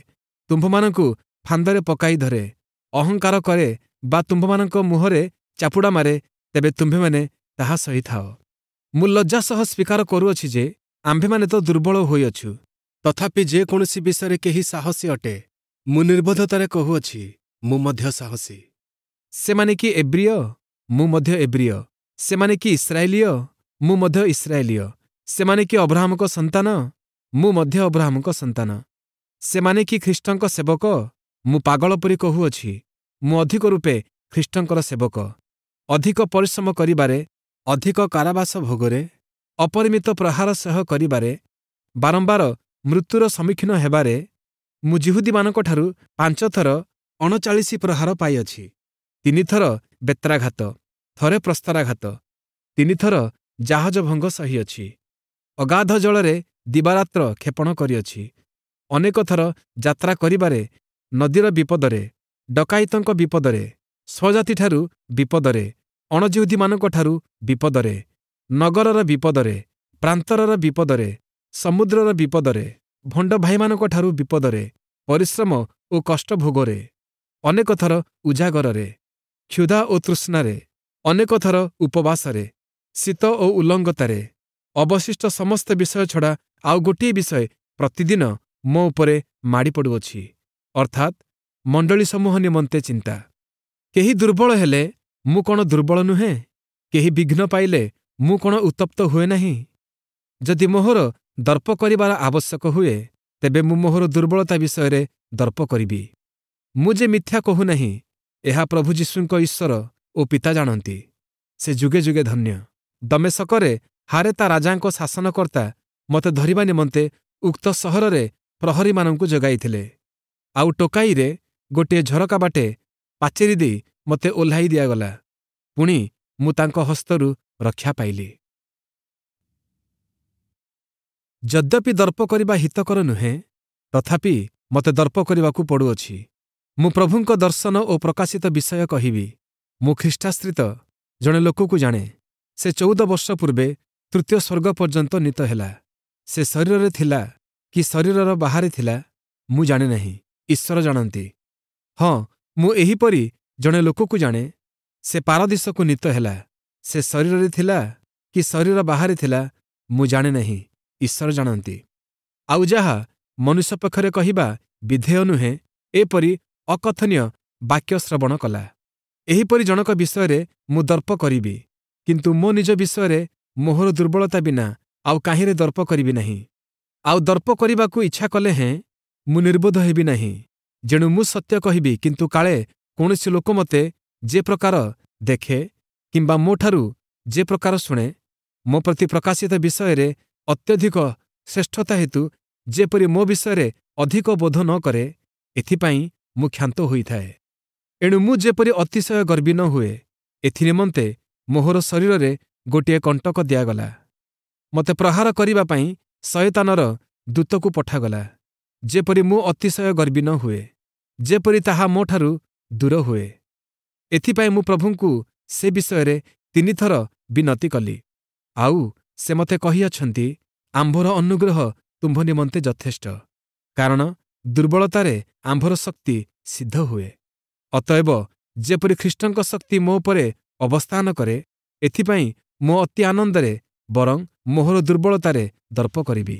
ତୁମ୍ଭମାନଙ୍କୁ ଫାନ୍ଦରେ ପକାଇ ଧରେ, ଅହଙ୍କାର କରେ ବା ତୁମ୍ଭମାନଙ୍କ ମୁହଁରେ ଚାପୁଡ଼ା ମାରେ, ତେବେ ତୁମ୍ଭେମାନେ ତାହା ସହିଥାଅ। ମୁଁ ଲଜ୍ଜା ସହ ସ୍ୱୀକାର କରୁଅଛି ଯେ ଆମ୍ଭେମାନେ ତ ଦୁର୍ବଳ ହୋଇଅଛୁ, ତଥାପି ଯେକୌଣସି ବିଷୟରେ କେହି ସାହସୀ ଅଟେ, ମୁଁ ନିର୍ବୋଧତାରେ କହୁଅଛି, ମୁଁ ମଧ୍ୟ ସାହସୀ। ସେମାନେ କି ଏବ୍ରିୟ? ମୁଁ ମଧ୍ୟ ଏବ୍ରିୟ। ସେମାନେ କି ଇସ୍ରାଏଲୀୟ? ମୁଁ ମଧ୍ୟ ଇସ୍ରାଏଲୀୟ। ସେମାନେ କି ଅବ୍ରାହମଙ୍କ ସନ୍ତାନ? ମୁଁ ମଧ୍ୟ ଅବ୍ରାହମଙ୍କ ସନ୍ତାନ। ସେମାନେ କି ଖ୍ରୀଷ୍ଟଙ୍କ ସେବକ? ମୁଁ ପାଗଳ ପରି କହୁଅଛି, ମୁଁ ଅଧିକ ରୂପେ ଖ୍ରୀଷ୍ଟଙ୍କର ସେବକ। ଅଧିକ ପରିଶ୍ରମ କରିବାରେ, ଅଧିକ କାରାବାସ ଭୋଗରେ, ଅପରିମିତ ପ୍ରହାର ସହ କରିବାରେ, ବାରମ୍ବାର ମୃତ୍ୟୁର ସମ୍ମୁଖୀନ ହେବାରେ ମୁଁ ଯିହୁଦୀମାନଙ୍କଠାରୁ 5 ଥର 39 ପ୍ରହାର ପାଇଅଛି, 3 ଥର ବେତ୍ରାଘାତ, ଥରେ ପ୍ରସ୍ତରାଘାତ, 3 ଥର ଜାହାଜ ଭଙ୍ଗ ସହିଅଛି, ଅଗାଧ ଜଳରେ ଦିବାରାତ୍ର କ୍ଷେପଣ କରିଅଛି, ଅନେକ ଥର ଯାତ୍ରା କରିବାରେ, ନଦୀର ବିପଦରେ, ଡକାୟତଙ୍କ ବିପଦରେ, ସ୍ୱଜାତିଠାରୁ ବିପଦରେ, ଅଣଯିହୁଦୀମାନଙ୍କଠାରୁ ବିପଦରେ, ନଗରର ବିପଦରେ, ପ୍ରାନ୍ତରର ବିପଦରେ, ସମୁଦ୍ରର ବିପଦରେ, ଭଣ୍ଡ ଭାଇମାନଙ୍କଠାରୁ ବିପଦରେ, ପରିଶ୍ରମ ଓ କଷ୍ଟ ଭୋଗରେ, ଅନେକ ଥର ଉଜାଗରରେ, କ୍ଷୁଧା ଓ ତୃଷ୍ଣାରେ, ଅନେକ ଥର ଉପବାସରେ, ଶୀତ ଓ ଉଲଙ୍ଗତାରେ। ଅବଶିଷ୍ଟ ସମସ୍ତ ବିଷୟ ଛଡ଼ା ଆଉ ଗୋଟିଏ ବିଷୟ ପ୍ରତିଦିନ ମୋ ଉପରେ ମାଡ଼ି ପଡ଼ୁଅଛି, ଅର୍ଥାତ୍ ମଣ୍ଡଳୀ ସମୂହ ନିମନ୍ତେ ଚିନ୍ତା। କେହି ଦୁର୍ବଳ ହେଲେ ମୁଁ କ'ଣ ଦୁର୍ବଳ ନୁହେଁ? କେହି ବିଘ୍ନ ପାଇଲେ ମୁଁ କ'ଣ ଉତ୍ତପ୍ତ ହୁଏ ନାହିଁ? ଯଦି ମୋହର ଦର୍ପ କରିବାର ଆବଶ୍ୟକ ହୁଏ, ତେବେ ମୁଁ ମୋହର ଦୁର୍ବଳତା ବିଷୟରେ ଦର୍ପ କରିବି। ମୁଁ ଯେ ମିଥ୍ୟା କହୁନାହିଁ, ଏହା ପ୍ରଭୁ ଯୀଶୁଙ୍କ ଈଶ୍ୱର ଓ ପିତା ଜାଣନ୍ତି। ସେ ଯୁଗେ ଯୁଗେ ଧନ୍ୟ। ଦମେଶକରେ ହାରେତା ରାଜାଙ୍କ ଶାସନକର୍ତ୍ତା ମୋତେ ଧରିବା ନିମନ୍ତେ ଉକ୍ତ ସହରରେ ପ୍ରହରୀମାନଙ୍କୁ ଯୋଗାଇଥିଲେ। ଆଉ ଟୋକାଇରେ ଗୋଟିଏ ଝରକା ବାଟେ ପାଚେରୀ ଦେଇ ମୋତେ ଓହ୍ଲାଇ ଦିଆଗଲା। ପୁଣି ମୁଁ ତାଙ୍କ ହସ୍ତରୁ ରକ୍ଷା ପାଇଲି। ଯଦ୍ୟପି ଦର୍ପ କରିବା ହିତକର ନୁହେଁ, ତଥାପି ମୋତେ ଦର୍ପ କରିବାକୁ ପଡ଼ୁଅଛି। ମୁଁ ପ୍ରଭୁଙ୍କ ଦର୍ଶନ ଓ ପ୍ରକାଶିତ ବିଷୟ କହିବି। ମୁଁ ଖ୍ରୀଷ୍ଟାଶ୍ରିତ ଜଣେ ଲୋକକୁ ଜାଣେ। ସେ 14 ବର୍ଷ ପୂର୍ବେ ତୃତୀୟ ସ୍ୱର୍ଗ ପର୍ଯ୍ୟନ୍ତ ନୀତ ହେଲା। ସେ ଶରୀରରେ ଥିଲା କି ଶରୀରର ବାହାରେ ଥିଲା, ମୁଁ ଜାଣେ ନାହିଁ, ଈଶ୍ୱର ଜାଣନ୍ତି। ହଁ, ମୁଁ ଏହିପରି ଜଣେ ଲୋକକୁ ଜାଣେ, ସେ ପାରଦୀଶକୁ ନୀତ ହେଲା। ସେ ଶରୀରରେ ଥିଲା କି ଶରୀର ବାହାରେ ଥିଲା, ମୁଁ ଜାଣେ ନାହିଁ, ଈଶ୍ୱର ଜାଣନ୍ତି। ଆଉ ଯାହା ମନୁଷ୍ୟ ପକ୍ଷରେ କହିବା ବିଧେୟ ନୁହେଁ, ଏପରି ଅକଥନୀୟ ବାକ୍ୟ ଶ୍ରବଣ କଲା। ଏହିପରି ଜଣକ ବିଷୟରେ ମୁଁ ଦର୍ପ କରିବି, କିନ୍ତୁ ମୋ ନିଜ ବିଷୟରେ ମୋହର ଦୁର୍ବଳତା ବିନା ଆଉ କାହିଁରେ ଦର୍ପ କରିବି ନାହିଁ। ଆଉ ଦର୍ପ କରିବାକୁ ଇଚ୍ଛା କଲେ ହେଁ ମୁଁ ନିର୍ବୋଧ ହେବି ନାହିଁ। ଯେଣୁ ମୁଁ ସତ୍ୟ କହିବି, କିନ୍ତୁ କାଳେ କୌଣସି ଲୋକ ମୋତେ ଯେ ପ୍ରକାର ଦେଖେ କିମ୍ବା ମୋଠାରୁ ଯେ ପ୍ରକାର ଶୁଣେ, ମୋ ପ୍ରତି ପ୍ରକାଶିତ ବିଷୟରେ ଅତ୍ୟଧିକ ଶ୍ରେଷ୍ଠତା ହେତୁ ଯେପରି ମୋ ବିଷୟରେ ଅଧିକ ବୋଧ ନ କରେ, ଏଥିପାଇଁ ମୁଁ କ୍ଷାନ୍ତ ହୋଇଥାଏ। ଏଣୁ ମୁଁ ଯେପରି ଅତିଶୟ ଗର୍ବୀ ନ ହୁଏ, ଏଥିନିମନ୍ତେ ମୋହର ଶରୀରରେ ଗୋଟିଏ କଣ୍ଟକ ଦିଆଗଲା। ମୋତେ ପ୍ରହାର କରିବା ପାଇଁ ଶୟତାନର ଦୂତକୁ ପଠାଗଲା, ଯେପରି ମୁଁ ଅତିଶୟ ଗର୍ବୀ ନ ହୁଏ, ଯେପରି ତାହା ମୋଠାରୁ ଦୂର ହୁଏ। ଏଥିପାଇଁ ମୁଁ ପ୍ରଭୁଙ୍କୁ ସେ ବିଷୟରେ 3 ଥର ବିନତି କଲି। ଆଉ ସେ ମୋତେ କହିଅଛନ୍ତି, ଆମ୍ଭର ଅନୁଗ୍ରହ ତୁମ୍ଭ ନିମନ୍ତେ ଯଥେଷ୍ଟ, କାରଣ ଦୁର୍ବଳତାରେ ଆମ୍ଭର ଶକ୍ତି ସିଦ୍ଧ ହୁଏ। ଅତଏବ ଯେପରି ଖ୍ରୀଷ୍ଟଙ୍କ ଶକ୍ତି ମୋ ଉପରେ ଅବସ୍ଥାନ କରେ, ଏଥିପାଇଁ ମୁଁ ଅତି ଆନନ୍ଦରେ ବରଂ ମୋହର ଦୁର୍ବଳତାରେ ଦର୍ପ କରିବି।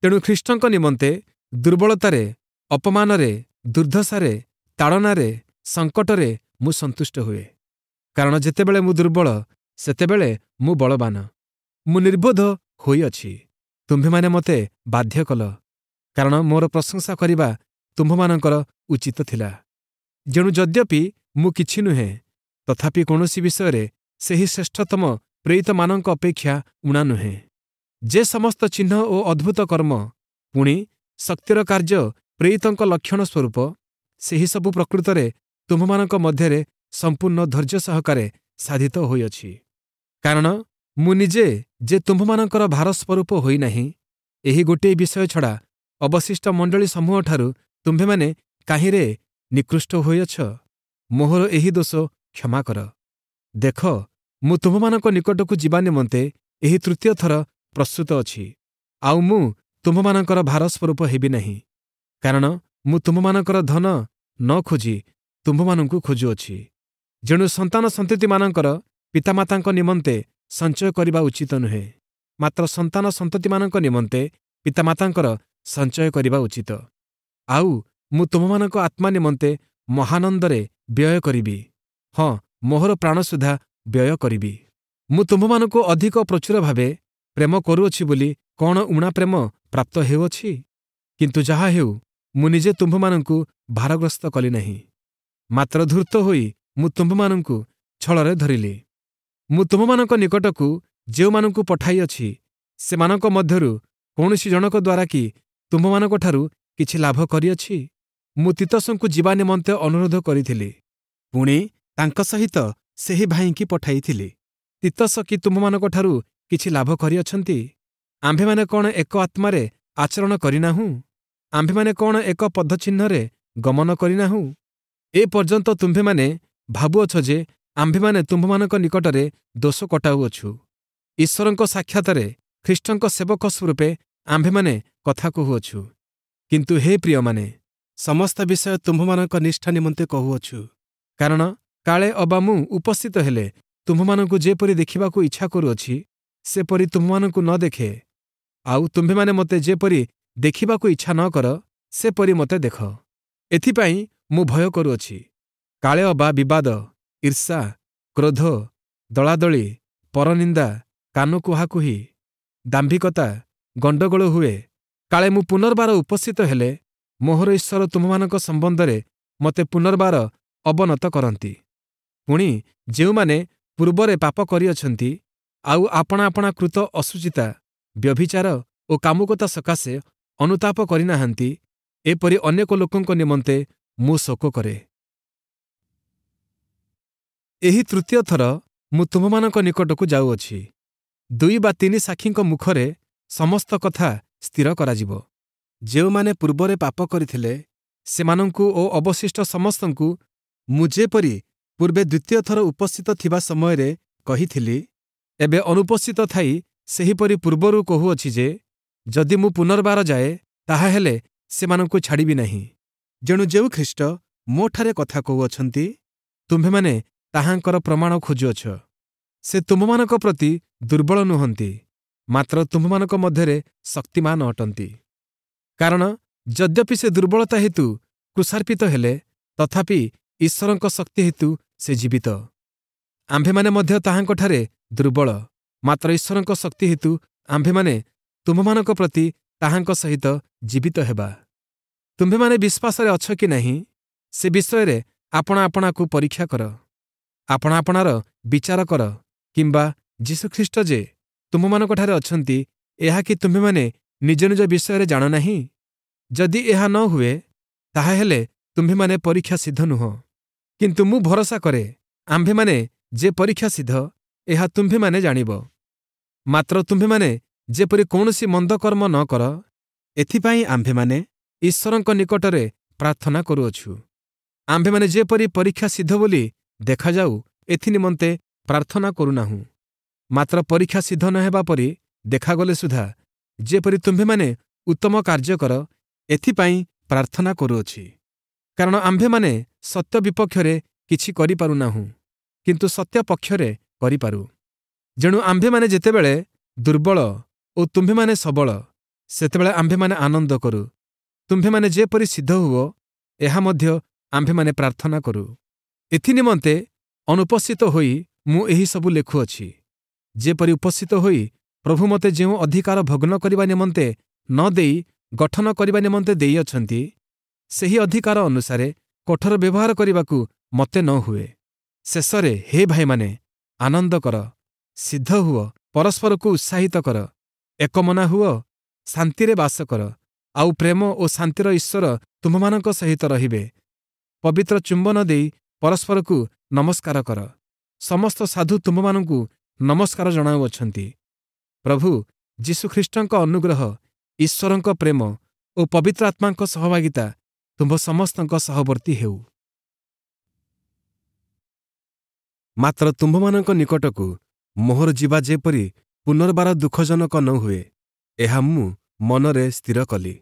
ତେଣୁ ଖ୍ରୀଷ୍ଟଙ୍କ ନିମନ୍ତେ ଦୁର୍ବଳତାରେ, ଅପମାନରେ, ଦୁର୍ଦ୍ଦଶାରେ, ତାଡ଼ନାରେ, ସଙ୍କଟରେ ମୁଁ ସନ୍ତୁଷ୍ଟ ହୁଏ। କାରଣ ଯେତେବେଳେ ମୁଁ ଦୁର୍ବଳ, ସେତେବେଳେ ମୁଁ ବଳବାନ। ମୁଁ ନିର୍ବୋଧ ହୋଇଅଛି, ତୁମ୍ଭେମାନେ ମୋତେ ବାଧ୍ୟ କଲ, କାରଣ ମୋର ପ୍ରଶଂସା କରିବା ତୁମ୍ଭମାନଙ୍କର ଉଚିତ ଥିଲା। ଯେଣୁ ଯଦ୍ୟପି ମୁଁ କିଛି ନୁହେଁ, ତଥାପି କୌଣସି ବିଷୟରେ ସେହି ଶ୍ରେଷ୍ଠତମ ପ୍ରେରିତମାନଙ୍କ ଅପେକ୍ଷା ଊଣା ନୁହେଁ। ଯେ ସମସ୍ତ ଚିହ୍ନ ଓ ଅଦ୍ଭୁତ କର୍ମ, ପୁଣି ଶକ୍ତିର କାର୍ଯ୍ୟ ପ୍ରେରିତଙ୍କ ଲକ୍ଷଣ ସ୍ୱରୂପ, ସେହି ସବୁ ପ୍ରକୃତରେ ତୁମ୍ଭମାନଙ୍କ ମଧ୍ୟରେ ସମ୍ପୂର୍ଣ୍ଣ ଧୈର୍ଯ୍ୟ ସହକାରେ ସାଧିତ ହୋଇଅଛି। କାରଣ ମୁଁ ନିଜେ ଯେ ତୁମ୍ଭମାନଙ୍କର ଭାର ସ୍ୱରୂପ ହୋଇନାହିଁ, ଏହି ଗୋଟିଏ ବିଷୟ ଛଡ଼ା ଅବଶିଷ୍ଟ ମଣ୍ଡଳୀ ସମୂହଠାରୁ ତୁମ୍ଭେମାନେ କାହିଁରେ ନିକୃଷ୍ଟ ହୋଇଅଛ? ମୋହର ଏହି ଦୋଷ କ୍ଷମା କର। ଦେଖ, ମୁଁ ତୁମ୍ଭମାନଙ୍କ ନିକଟକୁ ଯିବା ନିମନ୍ତେ ଏହି ତୃତୀୟ ଥର ପ୍ରସ୍ତୁତ ଅଛି। ଆଉ ମୁଁ ତୁମ୍ଭମାନଙ୍କର ଭାର ସ୍ୱରୂପ ହେବି ନାହିଁ, କାରଣ ମୁଁ ତୁମ୍ଭମାନଙ୍କର ଧନ ନ ଖୋଜି ତୁମ୍ଭମାନଙ୍କୁ ଖୋଜୁଅଛି। ଯେଣୁ ସନ୍ତାନ ସନ୍ତତିମାନଙ୍କର ପିତାମାତାଙ୍କ ନିମନ୍ତେ ସଞ୍ଚୟ କରିବା ଉଚିତ ନୁହେଁ, ମାତ୍ର ସନ୍ତାନ ସନ୍ତତିମାନଙ୍କ ନିମନ୍ତେ ପିତାମାତାଙ୍କର ସଞ୍ଚୟ କରିବା ଉଚିତ। ଆଉ ମୁଁ ତୁମ୍ଭମାନଙ୍କ ଆତ୍ମା ନିମନ୍ତେ ମହାନନ୍ଦରେ ବ୍ୟୟ କରିବି, ହଁ, ମୋହର ପ୍ରାଣ ସୁଦ୍ଧା ବ୍ୟୟ କରିବି। ମୁଁ ତୁମ୍ଭମାନଙ୍କୁ ଅଧିକ ପ୍ରଚୁର ଭାବେ ପ୍ରେମ କରୁଅଛି ବୋଲି କ'ଣ ଊଣା ପ୍ରେମ ପ୍ରାପ୍ତ ହେଉଅଛି? କିନ୍ତୁ ଯାହା ହେଉ, ମୁଁ ନିଜେ ତୁମ୍ଭମାନଙ୍କୁ ଭାରଗ୍ରସ୍ତ କଲି ନାହିଁ, ମାତ୍ର ଧୂର୍ତ୍ତ ହୋଇ ମୁଁ ତୁମ୍ଭମାନଙ୍କୁ ଛଳରେ ଧରିଲି। ମୁଁ ତୁମ୍ଭମାନଙ୍କ ନିକଟକୁ ଯେଉଁମାନଙ୍କୁ ପଠାଇଅଛି, ସେମାନଙ୍କ ମଧ୍ୟରୁ କୌଣସି ଜଣକ ଦ୍ୱାରା କି ତୁମ୍ଭମାନଙ୍କଠାରୁ କିଛି ଲାଭ କରିଅଛି? ମୁଁ ତୀତସଙ୍କୁ ଯିବା ନିମନ୍ତେ ଅନୁରୋଧ କରିଥିଲି, ପୁଣି ତାଙ୍କ ସହିତ ସେହି ଭାଇଙ୍କି ପଠାଇଥିଲି। ତୀତସ କି ତୁମ୍ଭମାନଙ୍କଠାରୁ କିଛି ଲାଭ କରିଅଛନ୍ତି? ଆମ୍ଭେମାନେ କ'ଣ ଏକ ଆତ୍ମାରେ ଆଚରଣ କରିନାହୁଁ? ଆମ୍ଭେମାନେ କ'ଣ ଏକ ପଦଚିହ୍ନରେ ଗମନ କରିନାହୁଁ? ଏ ପର୍ଯ୍ୟନ୍ତ ତୁମ୍ଭେମାନେ ଭାବୁଅଛ ଯେ ଆମ୍ଭେମାନେ ତୁମ୍ଭମାନଙ୍କ ନିକଟରେ ଦୋଷ କଟାଉଅଛୁ। ଈଶ୍ୱରଙ୍କ ସାକ୍ଷାତରେ ଖ୍ରୀଷ୍ଟଙ୍କ ସେବକ ସ୍ୱରୂପେ ଆମ୍ଭେମାନେ କଥା କହୁଅଛୁ। କିନ୍ତୁ ହେ ପ୍ରିୟମାନେ, ସମସ୍ତ ବିଷୟ ତୁମ୍ଭମାନଙ୍କ ନିଷ୍ଠା ନିମନ୍ତେ କହୁଅଛୁ, କାରଣ କାଳେ ଅବା ମୁଁ ଉପସ୍ଥିତ ହେଲେ ତୁମ୍ଭମାନଙ୍କୁ ଯେପରି ଦେଖିବାକୁ ଇଚ୍ଛା କରୁଅଛି, ସେପରି ତୁମ୍ଭମାନଙ୍କୁ ନ ଦେଖେ, ଆଉ ତୁମ୍ଭେମାନେ ମୋତେ ଯେପରି ଦେଖିବାକୁ ଇଚ୍ଛା ନ କର, ସେପରି ମୋତେ ଦେଖ। ଏଥିପାଇଁ ମୁଁ ଭୟ କରୁଅଛି, କାଳେ ଅବା ବିବାଦ, ଈର୍ଷା, କ୍ରୋଧ, ଦଳାଦଳି, ପରନିନ୍ଦା, କାନ କୁହାକୁହି, ଦାମ୍ଭିକତା, ଗଣ୍ଡଗୋଳ ହୁଏ। କାଳେ ମୁଁ ପୁନର୍ବାର ଉପସ୍ଥିତ ହେଲେ ମୋହର ଈଶ୍ୱର ତୁମ୍ଭମାନଙ୍କ ସମ୍ବନ୍ଧରେ ମୋତେ ପୁନର୍ବାର ଅବନତ କରନ୍ତି। ପୁଣି ଯେଉଁମାନେ ପୂର୍ବରେ ପାପ କରିଅଛନ୍ତି, ଆଉ ଆପଣା ଆପଣା କୃତ ଅଶୁଚିତା, ବ୍ୟଭିଚାର ଓ କାମୁକତା ସକାଶେ ଅନୁତାପ କରିନାହାନ୍ତି, ଏପରି ଅନେକ ଲୋକଙ୍କ ନିମନ୍ତେ ମୁଁ ଶୋକ କରେ। ଏହି ତୃତୀୟ ଥର ମୁଁ ତୁମ୍ଭମାନଙ୍କ ନିକଟକୁ ଯାଉଅଛି। ଦୁଇ ବା ତିନି ସାକ୍ଷୀଙ୍କ ମୁଖରେ ସମସ୍ତ କଥା ସ୍ଥିର କରାଯିବ। ଯେଉଁମାନେ ପୂର୍ବରେ ପାପ କରିଥିଲେ, ସେମାନଙ୍କୁ ଓ ଅବଶିଷ୍ଟ ସମସ୍ତଙ୍କୁ ମୁଁ ଯେପରି ପୂର୍ବେ ଦ୍ୱିତୀୟ ଥର ଉପସ୍ଥିତ ଥିବା ସମୟରେ କହିଥିଲି, ଏବେ ଅନୁପସ୍ଥିତ ଥାଇ ସେହିପରି ପୂର୍ବରୁ କହୁଅଛି ଯେ, ଯଦି ମୁଁ ପୁନର୍ବାର ଯାଏ, ତାହାହେଲେ ସେମାନଙ୍କୁ ଛାଡ଼ିବି ନାହିଁ। ଯେଣୁ ଯେଉଁ ଖ୍ରୀଷ୍ଟ ମୋଠାରେ କଥା କହୁଅଛନ୍ତି, ତୁମ୍ଭେମାନେ ତାହାଙ୍କର ପ୍ରମାଣ ଖୋଜୁଅଛ। ସେ ତୁମ୍ଭମାନଙ୍କ ପ୍ରତି ଦୁର୍ବଳ ନୁହନ୍ତି, ମାତ୍ର ତୁମ୍ଭମାନଙ୍କ ମଧ୍ୟରେ ଶକ୍ତିମାନ ଅଟନ୍ତି। କାରଣ ଯଦ୍ୟପି ସେ ଦୁର୍ବଳତା ହେତୁ କ୍ରୁଶାର୍ପିତ ହେଲେ, ତଥାପି ଈଶ୍ୱରଙ୍କ ଶକ୍ତି ହେତୁ ସେ ଜୀବିତ। ଆମ୍ଭେମାନେ ମଧ୍ୟ ତାହାଙ୍କଠାରେ ଦୁର୍ବଳ, ମାତ୍ର ଈଶ୍ୱରଙ୍କ ଶକ୍ତି ହେତୁ ଆମ୍ଭେମାନେ ତୁମ୍ଭମାନଙ୍କ ପ୍ରତି ତାହାଙ୍କ ସହିତ ଜୀବିତ ହେବା। ତୁମ୍ଭେମାନେ ବିଶ୍ୱାସରେ ଅଛ କି ନାହିଁ, ସେ ବିଷୟରେ ଆପଣା ଆପଣାକୁ ପରୀକ୍ଷା କର। ଆପଣା ଆପଣାର ବିଚାର କର। କିମ୍ବା ଯୀଶୁଖ୍ରୀଷ୍ଟ ଯେ ତୁମ୍ଭମାନଙ୍କଠାରେ ଅଛନ୍ତି, ଏହା କି ତୁମ୍ଭେମାନେ ନିଜ ନିଜ ବିଷୟରେ ଜାଣ ନାହିଁ? ଯଦି ଏହା ନ ହୁଏ, ତାହାହେଲେ ତୁମ୍ଭେମାନେ ପରୀକ୍ଷା ସିଦ୍ଧ ନୁହଁ। କିନ୍ତୁ ମୁଁ ଭରସା କରେ, ଆମ୍ଭେମାନେ ଯେ ପରୀକ୍ଷା ସିଦ୍ଧ, ଏହା ତୁମ୍ଭେମାନେ ଜାଣିବ। ମାତ୍ର ତୁମ୍ଭେମାନେ ଯେପରି କୌଣସି ମନ୍ଦ କର୍ମ ନ କର, ଏଥିପାଇଁ ଆମ୍ଭେମାନେ ଈଶ୍ୱରଙ୍କ ନିକଟରେ ପ୍ରାର୍ଥନା କରୁଅଛୁ। ଆମ୍ଭେମାନେ ଯେପରି ପରୀକ୍ଷା ସିଦ୍ଧ ବୋଲି ଦେଖାଯାଉ, ଏଥିନିମନ୍ତେ ପ୍ରାର୍ଥନା କରୁନାହୁଁ, ମାତ୍ର ପରୀକ୍ଷା ସିଦ୍ଧ ନ ହେବା ପରି ଦେଖାଗଲେ ସୁଦ୍ଧା ଯେପରି ତୁମ୍ଭେମାନେ ଉତ୍ତମ କାର୍ଯ୍ୟ କର, ଏଥିପାଇଁ ପ୍ରାର୍ଥନା କରୁଅଛି। କାରଣ ଆମ୍ଭେମାନେ ସତ୍ୟ ବିପକ୍ଷରେ କିଛି କରିପାରୁନାହୁଁ, କିନ୍ତୁ ସତ୍ୟ ପକ୍ଷରେ କରିପାରୁ। ଯେଣୁ ଆମ୍ଭେମାନେ ଯେତେବେଳେ ଦୁର୍ବଳ ଓ ତୁମ୍ଭେମାନେ ସବଳ, ସେତେବେଳେ ଆମ୍ଭେମାନେ ଆନନ୍ଦ କରୁ। ତୁମ୍ଭେମାନେ ଯେପରି ସିଦ୍ଧ ହୁଅ, ଏହା ମଧ୍ୟ ଆମ୍ଭେମାନେ ପ୍ରାର୍ଥନା କରୁ। ଏଥିନିମନ୍ତେ ଅନୁପସ୍ଥିତ ହୋଇ ମୁଁ ଏହିସବୁ ଲେଖୁଅଛି, ଯେପରି ଉପସ୍ଥିତ ହୋଇ ପ୍ରଭୁ ମୋତେ ଯେଉଁ ଅଧିକାର ଭଗ୍ନ କରିବା ନିମନ୍ତେ ନ ଦେଇ ଗଠନ କରିବା ନିମନ୍ତେ ଦେଇଅଛନ୍ତି, ସେହି ଅଧିକାର ଅନୁସାରେ କଠୋର ବ୍ୟବହାର କରିବାକୁ ମୋତେ ନ ହୁଏ। ଶେଷରେ ହେ ଭାଇମାନେ, ଆନନ୍ଦ କର, ସିଦ୍ଧ ହୁଅ, ପରସ୍ପରକୁ ଉତ୍ସାହିତ କର, ଏକମନା ହୁଅ, ଶାନ୍ତିରେ ବାସ କର, ଆଉ ପ୍ରେମ ଓ ଶାନ୍ତିର ଈଶ୍ୱର ତୁମ୍ଭମାନଙ୍କ ସହିତ ରହିବେ। ପବିତ୍ର ଚୁମ୍ବନ ଦେଇ ପରସ୍ପରକୁ ନମସ୍କାର କର। ସମସ୍ତ ସାଧୁ ତୁମ୍ଭମାନଙ୍କୁ ନମସ୍କାର ଜଣାଉଅଛନ୍ତି। ପ୍ରଭୁ ଯୀଶୁଖ୍ରୀଷ୍ଟଙ୍କ ଅନୁଗ୍ରହ, ଈଶ୍ୱରଙ୍କ ପ୍ରେମ ଓ ପବିତ୍ର ଆତ୍ମାଙ୍କ ସହଭାଗିତା ତୁମ୍ଭ ସମସ୍ତଙ୍କ ସହବର୍ତ୍ତୀ ହେଉ। ମାତ୍ର ତୁମ୍ଭମାନଙ୍କ ନିକଟକୁ ମୋହର ଯିବା ଯେପରି ପୁନର୍ବାର ଦୁଃଖଜନକ ନ ହୁଏ, ଏହା ମୁଁ ମନରେ ସ୍ଥିର କଲି।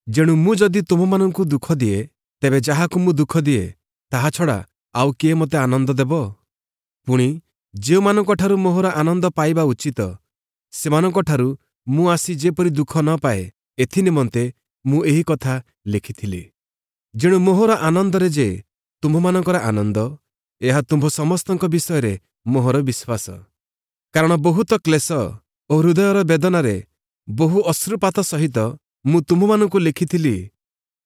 ଯେଣୁ ମୁଁ ଯଦି ତୁମ୍ଭମାନଙ୍କୁ ଦୁଃଖ ଦିଏ, ତେବେ ଯାହାକୁ ମୁଁ ଦୁଃଖ ଦିଏ, ତାହା ଛଡ଼ା ଆଉ କିଏ ମୋତେ ଆନନ୍ଦ ଦେବ? ପୁଣି ଯେଉଁମାନଙ୍କଠାରୁ ମୋହର ଆନନ୍ଦ ପାଇବା ଉଚିତ, ସେମାନଙ୍କଠାରୁ ମୁଁ ଆସି ଯେପରି ଦୁଃଖ ନ ପାଏ, ଏଥିନିମନ୍ତେ ମୁଁ ଏହି କଥା ଲେଖିଥିଲି। ଯେଣୁ ମୋହର ଆନନ୍ଦରେ ଯେ ତୁମ୍ଭମାନଙ୍କର ଆନନ୍ଦ, ଏହା ତୁମ୍ଭ ସମସ୍ତଙ୍କ ବିଷୟରେ ମୋହର ବିଶ୍ୱାସ। କାରଣ ବହୁତ କ୍ଲେଶ ଓ ହୃଦୟର ବେଦନାରେ ବହୁ ଅଶ୍ରୁପାତ ସହିତ ମୁଁ ତୁମ୍ଭମାନଙ୍କୁ ଲେଖିଥିଲି,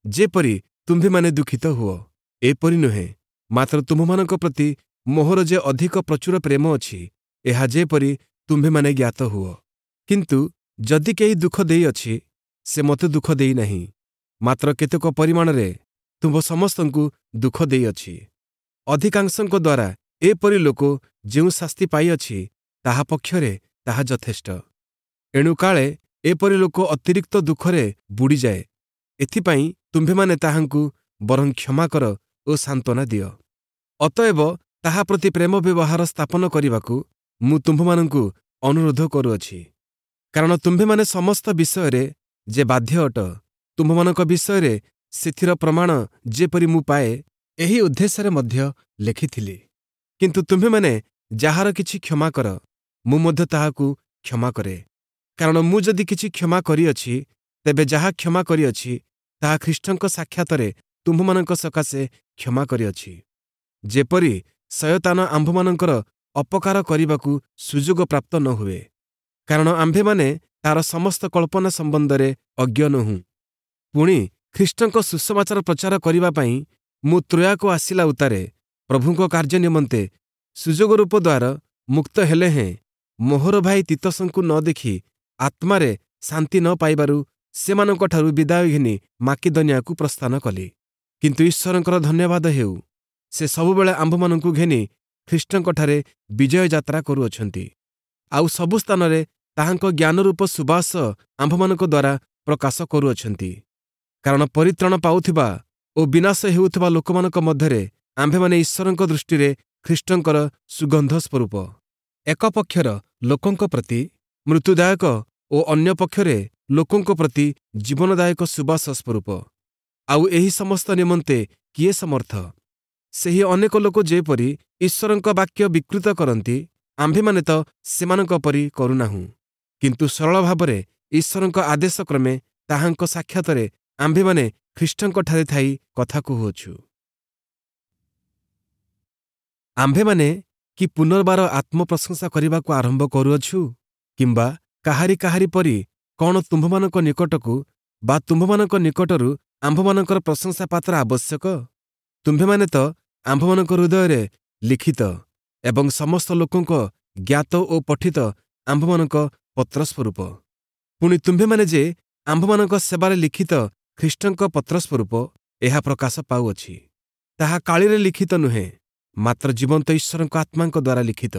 ଯେପରି ତୁମ୍ଭେମାନେ ଦୁଃଖିତ ହୁଅ। ଏପରି ନୁହେଁ, ମାତ୍ର ତୁମ୍ଭମାନଙ୍କ ପ୍ରତି ମୋହର ଯେ ଅଧିକ ପ୍ରଚୁର ପ୍ରେମ ଅଛି, ଏହା ଯେପରି ତୁମ୍ଭେମାନେ ଜ୍ଞାତ ହୁଅ। କିନ୍ତୁ ଯଦି କେହି ଦୁଃଖ ଦେଇଅଛି, ସେ ମୋତେ ଦୁଃଖ ଦେଇନାହିଁ, ମାତ୍ର କେତେକ ପରିମାଣରେ ତୁମ୍ଭ ସମସ୍ତଙ୍କୁ ଦୁଃଖ ଦେଇଅଛି। ଅଧିକାଂଶଙ୍କ ଦ୍ୱାରା ଏପରି ଲୋକ ଯେଉଁ ଶାସ୍ତି ପାଇଅଛି, ତାହା ପକ୍ଷରେ ତାହା ଯଥେଷ୍ଟ। ଏଣୁ କାଳେ ଏପରି ଲୋକ ଅତିରିକ୍ତ ଦୁଃଖରେ ବୁଡ଼ିଯାଏ, ଏଥିପାଇଁ ତୁମ୍ଭେମାନେ ତାହାଙ୍କୁ ବରଂ କ୍ଷମା କର ଓ ସାନ୍ତ୍ୱନା ଦିଅ। ଅତଏବ ତାହା ପ୍ରତି ପ୍ରେମ ବ୍ୟବହାର ସ୍ଥାପନ କରିବାକୁ ମୁଁ ତୁମ୍ଭମାନଙ୍କୁ ଅନୁରୋଧ କରୁଅଛି। କାରଣ ତୁମ୍ଭେମାନେ ସମସ୍ତ ବିଷୟରେ ଯେ ବାଧ୍ୟ ଅଟ, ତୁମ୍ଭମାନଙ୍କ ବିଷୟରେ ସେଥିର ପ୍ରମାଣ ଯେପରି ମୁଁ ପାଏ, ଏହି ଉଦ୍ଦେଶ୍ୟରେ ମଧ୍ୟ ଲେଖିଥିଲି। କିନ୍ତୁ ତୁମ୍ଭେମାନେ ଯାହାର କିଛି କ୍ଷମା କର, ମୁଁ ମଧ୍ୟ ତାହାକୁ କ୍ଷମା କରେ। କାରଣ ମୁଁ ଯଦି କିଛି କ୍ଷମା କରିଅଛି, ତେବେ ଯାହା କ୍ଷମା କରିଅଛି, ତାହା ଖ୍ରୀଷ୍ଟଙ୍କ ସାକ୍ଷାତରେ ତୁମ୍ଭମାନଙ୍କ ସକାଶେ କ୍ଷମା କରିଅଛି, ଯେପରି ଶୟତାନ ଆମ୍ଭମାନଙ୍କର ଅପକାର କରିବାକୁ ସୁଯୋଗ ପ୍ରାପ୍ତ ନ ହୁଏ। କାରଣ ଆମ୍ଭେମାନେ ତାର ସମସ୍ତ କଳ୍ପନା ସମ୍ବନ୍ଧରେ ଅଜ୍ଞ ନୋହୁଁ। ପୁଣି ଖ୍ରୀଷ୍ଟଙ୍କ ସୁସମାଚାର ପ୍ରଚାର କରିବା ପାଇଁ ମୁଁ ତ୍ରୋୟାକୁ ଆସିଲା ଉତ୍ତାରେ ପ୍ରଭୁଙ୍କ କାର୍ଯ୍ୟ ନିମନ୍ତେ ସୁଯୋଗ ରୂପ ଦ୍ୱାର ମୁକ୍ତ ହେଲେ ହେଁ, ମୋହର ଭାଇ ତୀତସଙ୍କୁ ନ ଦେଖି ଆତ୍ମାରେ ଶାନ୍ତି ନ ପାଇବାରୁ ସେମାନଙ୍କଠାରୁ ବିଦାୟ ଘେନି ମାକିଦନିଆକୁ ପ୍ରସ୍ଥାନ କଲି। କିନ୍ତୁ ଈଶ୍ୱରଙ୍କର ଧନ୍ୟବାଦ ହେଉ, ସେ ସବୁବେଳେ ଆମ୍ଭମାନଙ୍କୁ ଘେନି ଖ୍ରୀଷ୍ଟଙ୍କଠାରେ ବିଜୟ ଯାତ୍ରା କରୁଅଛନ୍ତି, ଆଉ ସବୁ ସ୍ଥାନରେ ତାହାଙ୍କ ଜ୍ଞାନରୂପ ସୁବାସ ଆମ୍ଭମାନଙ୍କ ଦ୍ୱାରା ପ୍ରକାଶ କରୁଅଛନ୍ତି। କାରଣ ପରିତ୍ରାଣ ପାଉଥିବା ଓ ବିନାଶ ହେଉଥିବା ଲୋକମାନଙ୍କ ମଧ୍ୟରେ ଆମ୍ଭେମାନେ ଈଶ୍ୱରଙ୍କ ଦୃଷ୍ଟିରେ ଖ୍ରୀଷ୍ଟଙ୍କର ସୁଗନ୍ଧ ସ୍ୱରୂପ। ଏକ ପକ୍ଷର ଲୋକଙ୍କ ପ୍ରତି ମୃତ୍ୟୁଦାୟକ ଓ ଅନ୍ୟ ପକ୍ଷରେ ଲୋକଙ୍କ ପ୍ରତି ଜୀବନଦାୟକ ସୁବାସ ସ୍ୱରୂପ। ଆଉ ଏହି ସମସ୍ତ ନିମନ୍ତେ କିଏ ସମର୍ଥ? ସେହି ଅନେକ ଲୋକ ଯେପରି ଈଶ୍ୱରଙ୍କ ବାକ୍ୟ ବିକୃତ କରନ୍ତି, ଆମ୍ଭେମାନେ ତ ସେମାନଙ୍କ ପରି କରୁନାହୁଁ। କିନ୍ତୁ ସରଳ ଭାବରେ ଈଶ୍ୱରଙ୍କ ଆଦେଶ କ୍ରମେ ତାହାଙ୍କ ସାକ୍ଷାତରେ ଆମ୍ଭେମାନେ ଖ୍ରୀଷ୍ଟଙ୍କଠାରେ ଥାଇ କଥା କହୁଅଛୁ। ଆମ୍ଭେମାନେ କି ପୁନର୍ବାର ଆତ୍ମପ୍ରଶଂସା କରିବାକୁ ଆରମ୍ଭ କରୁଅଛୁ? କିମ୍ବା କାହାରି କାହାରି ପରି କ'ଣ ତୁମ୍ଭମାନଙ୍କ ନିକଟକୁ ବା ତୁମ୍ଭମାନଙ୍କ ନିକଟରୁ ଆମ୍ଭମାନଙ୍କର ପ୍ରଶଂସା ପାତ୍ର ଆବଶ୍ୟକ? ତୁମ୍ଭେମାନେ ତ ଆମ୍ଭମାନଙ୍କ ହୃଦୟରେ ଲିଖିତ ଏବଂ ସମସ୍ତ ଲୋକଙ୍କ ଜ୍ଞାତ ଓ ପଠିତ ଆମ୍ଭମାନଙ୍କ ପତ୍ରସ୍ୱରୂପ। ପୁଣି ତୁମ୍ଭେମାନେ ଯେ ଆମ୍ଭମାନଙ୍କ ସେବାରେ ଲିଖିତ ଖ୍ରୀଷ୍ଟଙ୍କ ପତ୍ରସ୍ୱରୂପ, ଏହା ପ୍ରକାଶ ପାଉଅଛି। ତାହା କାଳିରେ ଲିଖିତ ନୁହେଁ, ମାତ୍ର ଜୀବନ୍ତ ଈଶ୍ୱରଙ୍କ ଆତ୍ମାଙ୍କ ଦ୍ୱାରା ଲିଖିତ,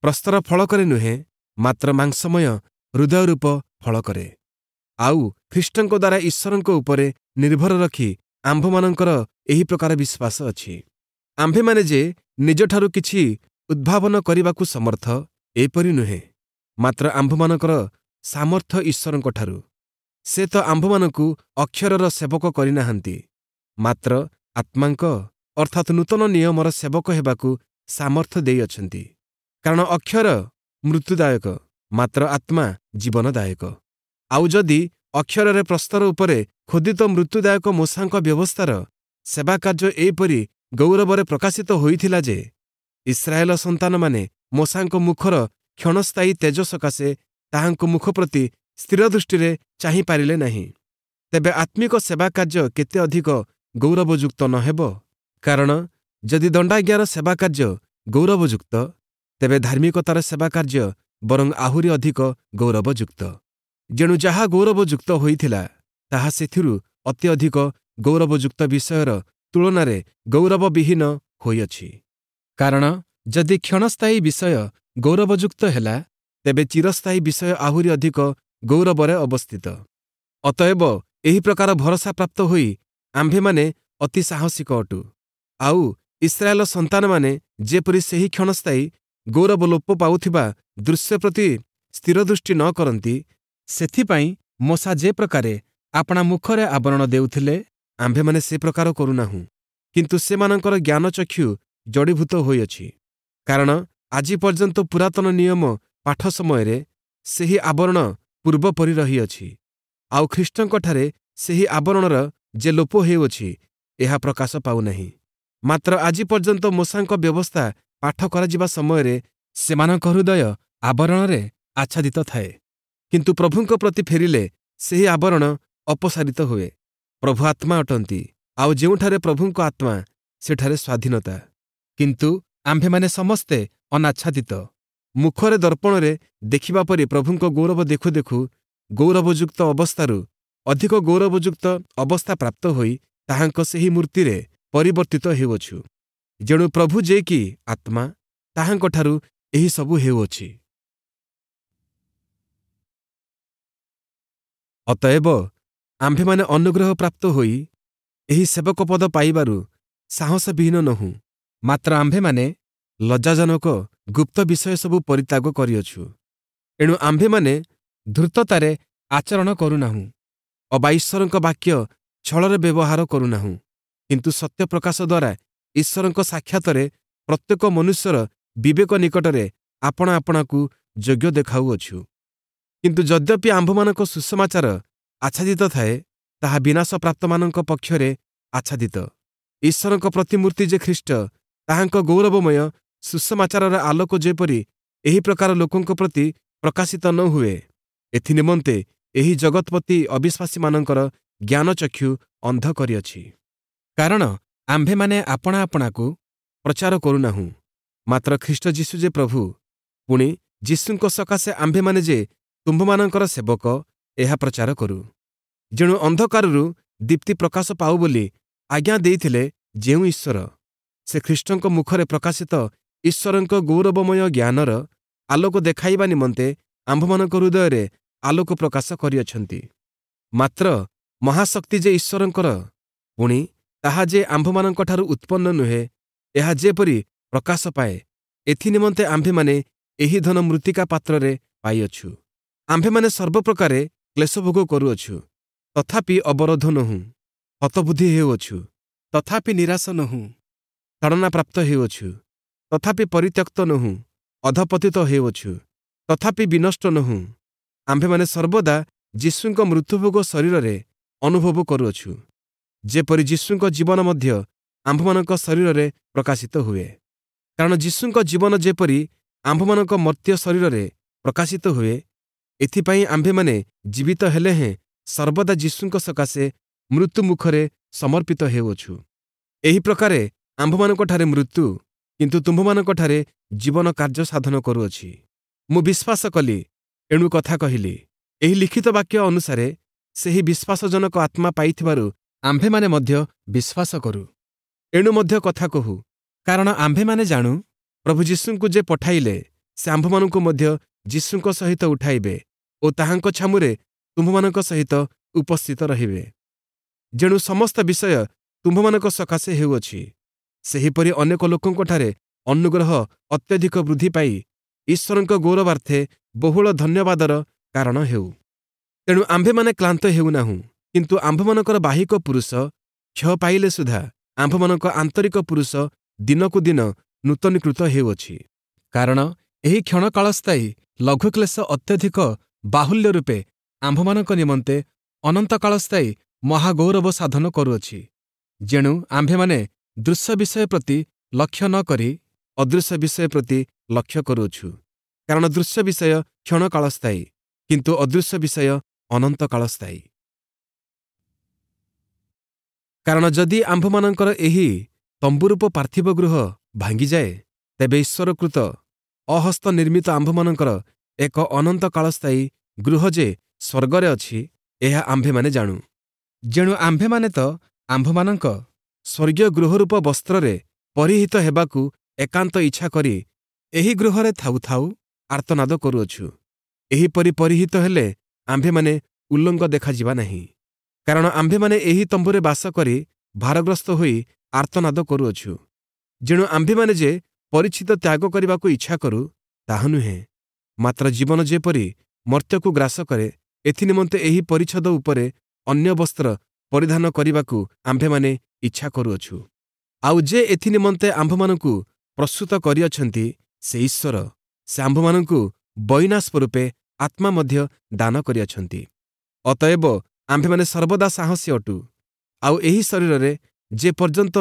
ପ୍ରସ୍ତର ଫଳକରେ ନୁହେଁ, ମାତ୍ର ମାଂସମୟ ହୃଦୟରୂପ ଫଳକରେ। ଆଉ ଖ୍ରୀଷ୍ଟଙ୍କ ଦ୍ୱାରା ଈଶ୍ୱରଙ୍କ ଉପରେ ନିର୍ଭର ରଖି ଆମ୍ଭମାନଙ୍କର ଏହି ପ୍ରକାର ବିଶ୍ୱାସ ଅଛି। ଆମ୍ଭେମାନେ ଯେ ନିଜଠାରୁ କିଛି ଉଦ୍ଭାବନ କରିବାକୁ ସମର୍ଥ, ଏପରି ନୁହେଁ, ମାତ୍ର ଆମ୍ଭମାନଙ୍କର ସାମର୍ଥ୍ୟ ଈଶ୍ୱରଙ୍କଠାରୁ। ସେ ତ ଆମ୍ଭମାନଙ୍କୁ ଅକ୍ଷରର ସେବକ କରିନାହାନ୍ତି, ମାତ୍ର ଆତ୍ମାଙ୍କ ଅର୍ଥାତ୍ ନୂତନ ନିୟମର ସେବକ ହେବାକୁ ସାମର୍ଥ୍ୟ ଦେଇଅଛନ୍ତି। କାରଣ ଅକ୍ଷର ମୃତ୍ୟୁଦାୟକ, ମାତ୍ର ଆତ୍ମା ଜୀବନଦାୟକ। ଆଉ ଯଦି ଅକ୍ଷରରେ ପ୍ରସ୍ତର ଉପରେ ଖୋଦିତ ମୃତ୍ୟୁଦାୟକ ମୋଶାଙ୍କ ବ୍ୟବସ୍ଥାର ସେବାକାର୍ଯ୍ୟ ଏହିପରି ଗୌରବରେ ପ୍ରକାଶିତ ହୋଇଥିଲା ଯେ ଇସ୍ରାଏଲ ସନ୍ତାନମାନେ ମୋଶାଙ୍କ ମୁଖର କ୍ଷଣସ୍ଥାୟୀ ତେଜ ସକାଶେ ତାହାଙ୍କ ମୁଖ ପ୍ରତି ସ୍ଥିର ଦୃଷ୍ଟିରେ ଚାହିଁପାରିଲେ ନାହିଁ, ତେବେ ଆତ୍ମିକ ସେବାକାର୍ଯ୍ୟ କେତେ ଅଧିକ ଗୌରବଯୁକ୍ତ ନ ହେବ? କାରଣ ଯଦି ଦଣ୍ଡାଜ୍ଞାର ସେବାକାର୍ଯ୍ୟ ଗୌରବଯୁକ୍ତ, ତେବେ ଧାର୍ମିକତାର ସେବାକାର୍ଯ୍ୟ ବରଂ ଆହୁରି ଅଧିକ ଗୌରବଯୁକ୍ତ। ଯେଣୁ ଯାହା ଗୌରବଯୁକ୍ତ ହୋଇଥିଲା, ତାହା ସେଥିରୁ ଅତି ଅଧିକ ଗୌରବଯୁକ୍ତ ବିଷୟର ତୁଳନାରେ ଗୌରବବିହୀନ ହୋଇଅଛି। କାରଣ ଯଦି କ୍ଷଣସ୍ଥାୟୀ ବିଷୟ ଗୌରବଯୁକ୍ତ ହେଲା, ତେବେ ଚିରସ୍ଥାୟୀ ବିଷୟ ଆହୁରି ଅଧିକ ଗୌରବରେ ଅବସ୍ଥିତ। ଅତଏବ ଏହି ପ୍ରକାର ଭରସା ପ୍ରାପ୍ତ ହୋଇ ଆମ୍ଭେମାନେ ଅତି ସାହସିକ ଅଟୁ। ଆଉ ଇସ୍ରାଏଲ ସନ୍ତାନମାନେ ଯେପରି ସେହି କ୍ଷଣସ୍ଥାୟୀ ଗୌରବ ଲୋପ ପାଉଥିବା ଦୃଶ୍ୟ ପ୍ରତି ସ୍ଥିର ଦୃଷ୍ଟି ନ କରନ୍ତି, ସେଥିପାଇଁ ମୋଶା ଯେ ପ୍ରକାରେ ଆପଣା ମୁଖରେ ଆବରଣ ଦେଉଥିଲେ, ଆମ୍ଭେମାନେ ସେ ପ୍ରକାର କରୁନାହୁଁ। କିନ୍ତୁ ସେମାନଙ୍କର ଜ୍ଞାନଚକ୍ଷୁ ଜଡ଼ୀଭୂତ ହୋଇଅଛି, କାରଣ ଆଜି ପର୍ଯ୍ୟନ୍ତ ପୁରାତନ ନିୟମ ପାଠ ସମୟରେ ସେହି ଆବରଣ ପୂର୍ବପରି ରହିଅଛି। ଆଉ ଖ୍ରୀଷ୍ଟଙ୍କଠାରେ ସେହି ଆବରଣର ଯେ ଲୋପ ହେଉଅଛି, ଏହା ପ୍ରକାଶ ପାଉନାହିଁ। ମାତ୍ର ଆଜି ପର୍ଯ୍ୟନ୍ତ ମୋଶାଙ୍କ ବ୍ୟବସ୍ଥା ପାଠ କରାଯିବା ସମୟରେ ସେମାନଙ୍କ ହୃଦୟ ଆବରଣରେ ଆଚ୍ଛାଦିତ ଥାଏ। କିନ୍ତୁ ପ୍ରଭୁଙ୍କ ପ୍ରତି ଫେରିଲେ ସେହି ଆବରଣ ଅପସାରିତ ହୁଏ। ପ୍ରଭୁ ଆତ୍ମା ଅଟନ୍ତି, ଆଉ ଯେଉଁଠାରେ ପ୍ରଭୁଙ୍କ ଆତ୍ମା, ସେଠାରେ ସ୍ୱାଧୀନତା। କିନ୍ତୁ ଆମ୍ଭେମାନେ ସମସ୍ତେ ଅନାଚ୍ଛାଦିତ ମୁଖରେ ଦର୍ପଣରେ ଦେଖିବା ପରି ପ୍ରଭୁଙ୍କ ଗୌରବ ଦେଖୁ ଦେଖୁ ଗୌରବଯୁକ୍ତ ଅବସ୍ଥାରୁ ଅଧିକ ଗୌରବଯୁକ୍ତ ଅବସ୍ଥା ପ୍ରାପ୍ତ ହୋଇ ତାହାଙ୍କ ସେହି ମୂର୍ତ୍ତିରେ ପରିବର୍ତ୍ତିତ ହେଉଅଛୁ। ଯେଣୁ ପ୍ରଭୁ ଯେ କି ଆତ୍ମା, ତାହାଙ୍କଠାରୁ ଏହିସବୁ ହେଉଅଛି। ଅତଏବ ଆମ୍ଭେମାନେ ଅନୁଗ୍ରହ ପ୍ରାପ୍ତ ହୋଇ ଏହି ସେବକ ପଦ ପାଇବାରୁ ସାହସବିହୀନ ନୋହୁଁ, ମାତ୍ର ଆମ୍ଭେମାନେ ଲଜ୍ଜାଜନକ ଗୁପ୍ତ ବିଷୟ ସବୁ ପରିତ୍ୟାଗ କରିଅଛୁ। ଏଣୁ ଆମ୍ଭେମାନେ ଧୂର୍ତ୍ତତାରେ ଆଚରଣ କରୁନାହୁଁ ଅବା ଈଶ୍ୱରଙ୍କ ବାକ୍ୟ ଛଳରେ ବ୍ୟବହାର କରୁନାହୁଁ, କିନ୍ତୁ ସତ୍ୟ ପ୍ରକାଶ ଦ୍ୱାରା ଈଶ୍ୱରଙ୍କ ସାକ୍ଷାତରେ ପ୍ରତ୍ୟେକ ମନୁଷ୍ୟର ବିବେକ ନିକଟରେ ଆପଣା ଆପଣାକୁ ଯୋଗ୍ୟ ଦେଖାଉଅଛୁ। କିନ୍ତୁ ଯଦ୍ୟପି ଆମ୍ଭମାନଙ୍କ ସୁସମାଚାର ଆଚ୍ଛାଦିତ ଥାଏ, ତାହା ବିନାଶପ୍ରାପ୍ତମାନଙ୍କ ପକ୍ଷରେ ଆଚ୍ଛାଦିତ। ଈଶ୍ୱରଙ୍କ ପ୍ରତିମୂର୍ତ୍ତି ଯେ ଖ୍ରୀଷ୍ଟ, ତାହାଙ୍କ ଗୌରବମୟ ସୁସମାଚାରର ଆଲୋକ ଯେପରି ଏହି ପ୍ରକାର ଲୋକଙ୍କ ପ୍ରତି ପ୍ରକାଶିତ ନ ହୁଏ, ଏଥିନିମନ୍ତେ ଏହି ଜଗତ୍ପତି ଅବିଶ୍ୱାସୀମାନଙ୍କର ଜ୍ଞାନଚକ୍ଷୁ ଅନ୍ଧ କରିଅଛି। କାରଣ ଆମ୍ଭେମାନେ ଆପଣା ଆପଣାକୁ ପ୍ରଚାର କରୁନାହୁଁ, ମାତ୍ର ଖ୍ରୀଷ୍ଟ ଯୀଶୁ ଯେ ପ୍ରଭୁ, ପୁଣି ଯୀଶୁଙ୍କ ସକାଶେ ଆମ୍ଭେମାନେ ଯେ ତୁମ୍ଭମାନଙ୍କର ସେବକ, ଏହା ପ୍ରଚାର କରୁ। ଯେଣୁ ଅନ୍ଧକାରରୁ ଦୀପ୍ତି ପ୍ରକାଶ ପାଉ ବୋଲି ଆଜ୍ଞା ଦେଇଥିଲେ ଯେଉଁ ଈଶ୍ୱର, ସେ ଖ୍ରୀଷ୍ଟଙ୍କ ମୁଖରେ ପ୍ରକାଶିତ ଈଶ୍ୱରଙ୍କ ଗୌରବମୟ ଜ୍ଞାନର ଆଲୋକ ଦେଖାଇବା ନିମନ୍ତେ ଆମ୍ଭମାନଙ୍କ ହୃଦୟରେ ଆଲୋକ ପ୍ରକାଶ କରିଅଛନ୍ତି। ମାତ୍ର ମହାଶକ୍ତି ଯେ ଈଶ୍ୱରଙ୍କର, ପୁଣି ତାହା ଯେ ଆମ୍ଭମାନଙ୍କଠାରୁ ଉତ୍ପନ୍ନ ନୁହେଁ, ଏହା ଯେପରି ପ୍ରକାଶ ପାଏ, ଏଥିନିମନ୍ତେ ଆମ୍ଭେମାନେ ଏହି ଧନ ମୃତ୍ତିକା ପାତ୍ରରେ ପାଇଅଛୁ। ଆମ୍ଭେମାନେ ସର୍ବପ୍ରକାରେ କ୍ଲେଶଭୋଗ କରୁଅଛୁ, ତଥାପି ଅବରୋଧ ନୋହୁଁ; ହତବୁଦ୍ଧି ହେଉଅଛୁ, ତଥାପି ନିରାଶ ନୋହୁଁ; ତାଡ଼ନା ପ୍ରାପ୍ତ ହେଉଅଛୁ, ତଥାପି ପରିତ୍ୟକ୍ତ ନୋହୁଁ; ଅଧପତିତ ହେଉଅଛୁ, ତଥାପି ବିନଷ୍ଟ ନୋହୁଁ। ଆମ୍ଭେମାନେ ସର୍ବଦା ଯୀଶୁଙ୍କ ମୃତ୍ୟୁଭୋଗ ଶରୀରରେ ଅନୁଭବ କରୁଅଛୁ, ଯେପରି ଯୀଶୁଙ୍କ ଜୀବନ ମଧ୍ୟ ଆମ୍ଭମାନଙ୍କ ଶରୀରରେ ପ୍ରକାଶିତ ହୁଏ। କାରଣ ଯୀଶୁଙ୍କ ଜୀବନ ଯେପରି ଆମ୍ଭମାନଙ୍କ ମର୍ତ୍ତ୍ୟ ଶରୀରରେ ପ୍ରକାଶିତ ହୁଏ, ଏଥିପାଇଁ ଆମ୍ଭେମାନେ ଜୀବିତ ହେଲେ ହେଁ ସର୍ବଦା ଯୀଶୁଙ୍କ ସକାଶେ ମୃତ୍ୟୁ ମୁଖରେ ସମର୍ପିତ ହେଉଅଛୁ। ଏହି ପ୍ରକାରେ ଆମ୍ଭମାନଙ୍କଠାରେ ମୃତ୍ୟୁ, କିନ୍ତୁ ତୁମ୍ଭମାନଙ୍କଠାରେ ଜୀବନ କାର୍ଯ୍ୟ ସାଧନ କରୁଅଛି। ମୁଁ ବିଶ୍ୱାସ କଲି, ଏଣୁ କଥା କହିଲି। ଏହି ଲିଖିତ ବାକ୍ୟ ଅନୁସାରେ ସେହି ବିଶ୍ୱାସଜନକ ଆତ୍ମା ପାଇଥିବାରୁ ଆମ୍ଭେମାନେ ମଧ୍ୟ ବିଶ୍ୱାସ କରୁ, ଏଣୁ ମଧ୍ୟ କଥା କହୁ। କାରଣ ଆମ୍ଭେମାନେ ଜାଣୁ, ପ୍ରଭୁ ଯୀଶୁଙ୍କୁ ଯେ ପଠାଇଲେ, ସେ ଆମ୍ଭମାନଙ୍କୁ ମଧ୍ୟ ଯୀଶୁଙ୍କ ସହିତ ଉଠାଇବେ ଓ ତାହାଙ୍କ ଛାମୁରେ ତୁମ୍ଭମାନଙ୍କ ସହିତ ଉପସ୍ଥିତ ରହିବେ। ଯେଣୁ ସମସ୍ତ ବିଷୟ ତୁମ୍ଭମାନଙ୍କ ସକାଶେ ହେଉଅଛି, ସେହିପରି ଅନେକ ଲୋକଙ୍କଠାରେ ଅନୁଗ୍ରହ ଅତ୍ୟଧିକ ବୃଦ୍ଧି ପାଇ ଈଶ୍ୱରଙ୍କ ଗୌରବାର୍ଥେ ବହୁଳ ଧନ୍ୟବାଦର କାରଣ ହେଉ। ତେଣୁ ଆମ୍ଭେମାନେ କ୍ଳାନ୍ତ ହେଉନାହୁଁ, କିନ୍ତୁ ଆମ୍ଭମାନଙ୍କର ବାହିକ ପୁରୁଷ କ୍ଷୟ ପାଇଲେ ସୁଦ୍ଧା ଆମ୍ଭମାନଙ୍କ ଆନ୍ତରିକ ପୁରୁଷ ଦିନକୁ ଦିନ ନୂତନୀକୃତ ହେଉଅଛି। କାରଣ ଏହି କ୍ଷଣକାଳସ୍ଥାୟୀ ଲଘୁକ୍ଲେଶ ଅତ୍ୟଧିକ ବାହୁଲ୍ୟ ରୂପେ ଆମ୍ଭମାନଙ୍କ ନିମନ୍ତେ ଅନନ୍ତକାଳସ୍ଥାୟୀ ମହାଗୌରବ ସାଧନ କରୁଅଛି। ଯେଣୁ ଆମ୍ଭେମାନେ ଦୃଶ୍ୟ ବିଷୟ ପ୍ରତି ଲକ୍ଷ୍ୟ ନ କରି ଅଦୃଶ୍ୟ ବିଷୟ ପ୍ରତି ଲକ୍ଷ୍ୟ କରୁଅଛୁ। କାରଣ ଦୃଶ୍ୟ ବିଷୟ କ୍ଷଣକାଳସ୍ଥାୟୀ, କିନ୍ତୁ ଅଦୃଶ୍ୟ ବିଷୟ ଅନନ୍ତକାଳସ୍ଥାୟୀ। କାରଣ ଯଦି ଆମ୍ଭମାନଙ୍କର ଏହି ତମ୍ବୁରୂପ ପାର୍ଥିବ ଗୃହ ଭାଙ୍ଗିଯାଏ, ତେବେ ଈଶ୍ୱରକୃତ ଅହସ୍ତ ନିର୍ମିତ ଆମ୍ଭମାନଙ୍କର ଏକ ଅନନ୍ତକାଳସ୍ଥାୟୀ ଗୃହ ଯେ ସ୍ୱର୍ଗରେ ଅଛି, ଏହା ଆମ୍ଭେମାନେ ଜାଣୁ। ଯେଣୁ ଆମ୍ଭେମାନେ ତ ଆମ୍ଭମାନଙ୍କ ସ୍ୱର୍ଗୀୟ ଗୃହରୂପ ବସ୍ତ୍ରରେ ପରିହିତ ହେବାକୁ ଏକାନ୍ତ ଇଚ୍ଛା କରି ଏହି ଗୃହରେ ଥାଉ ଥାଉ ଆର୍ତ୍ତନାଦ କରୁଅଛୁ। ଏହିପରି ପରିହିତ ହେଲେ ଆମ୍ଭେମାନେ ଉଲ୍ଲଙ୍ଗ ଦେଖାଯିବା ନାହିଁ। କାରଣ ଆମ୍ଭେମାନେ ଏହି ତମ୍ବୁରେ ବାସ କରି ଭାରଗ୍ରସ୍ତ ହୋଇ ଆର୍ତ୍ତନାଦ କରୁଅଛୁ। ଯେଣୁ ଆମ୍ଭେମାନେ ଯେ ପରିଚିତ ତ୍ୟାଗ କରିବାକୁ ଇଚ୍ଛା କରୁ, ତାହା ନୁହେଁ, ମାତ୍ର ଜୀବନ ଯେପରି ମର୍ତ୍ତ୍ୟକୁ ଗ୍ରାସ କରେ, ଏଥିନିମନ୍ତେ ଏହି ପରିଚ୍ଛଦ ଉପରେ ଅନ୍ୟ ବସ୍ତ୍ର ପରିଧାନ କରିବାକୁ ଆମ୍ଭେମାନେ ଇଚ୍ଛା କରୁଅଛୁ। ଆଉ ଯେ ଏଥିନିମନ୍ତେ ଆମ୍ଭମାନଙ୍କୁ ପ୍ରସ୍ତୁତ କରିଅଛନ୍ତି, ସେ ଈଶ୍ୱର। ସେ ଆମ୍ଭମାନଙ୍କୁ ବଇନା ସ୍ୱରୂପେ ଆତ୍ମା ମଧ୍ୟ ଦାନ କରିଅଛନ୍ତି। ଅତଏବ ଆମ୍ଭେମାନେ ସର୍ବଦା ସାହସୀ ଅଟୁ, ଆଉ ଏହି ଶରୀରରେ ଯେ ପର୍ଯ୍ୟନ୍ତ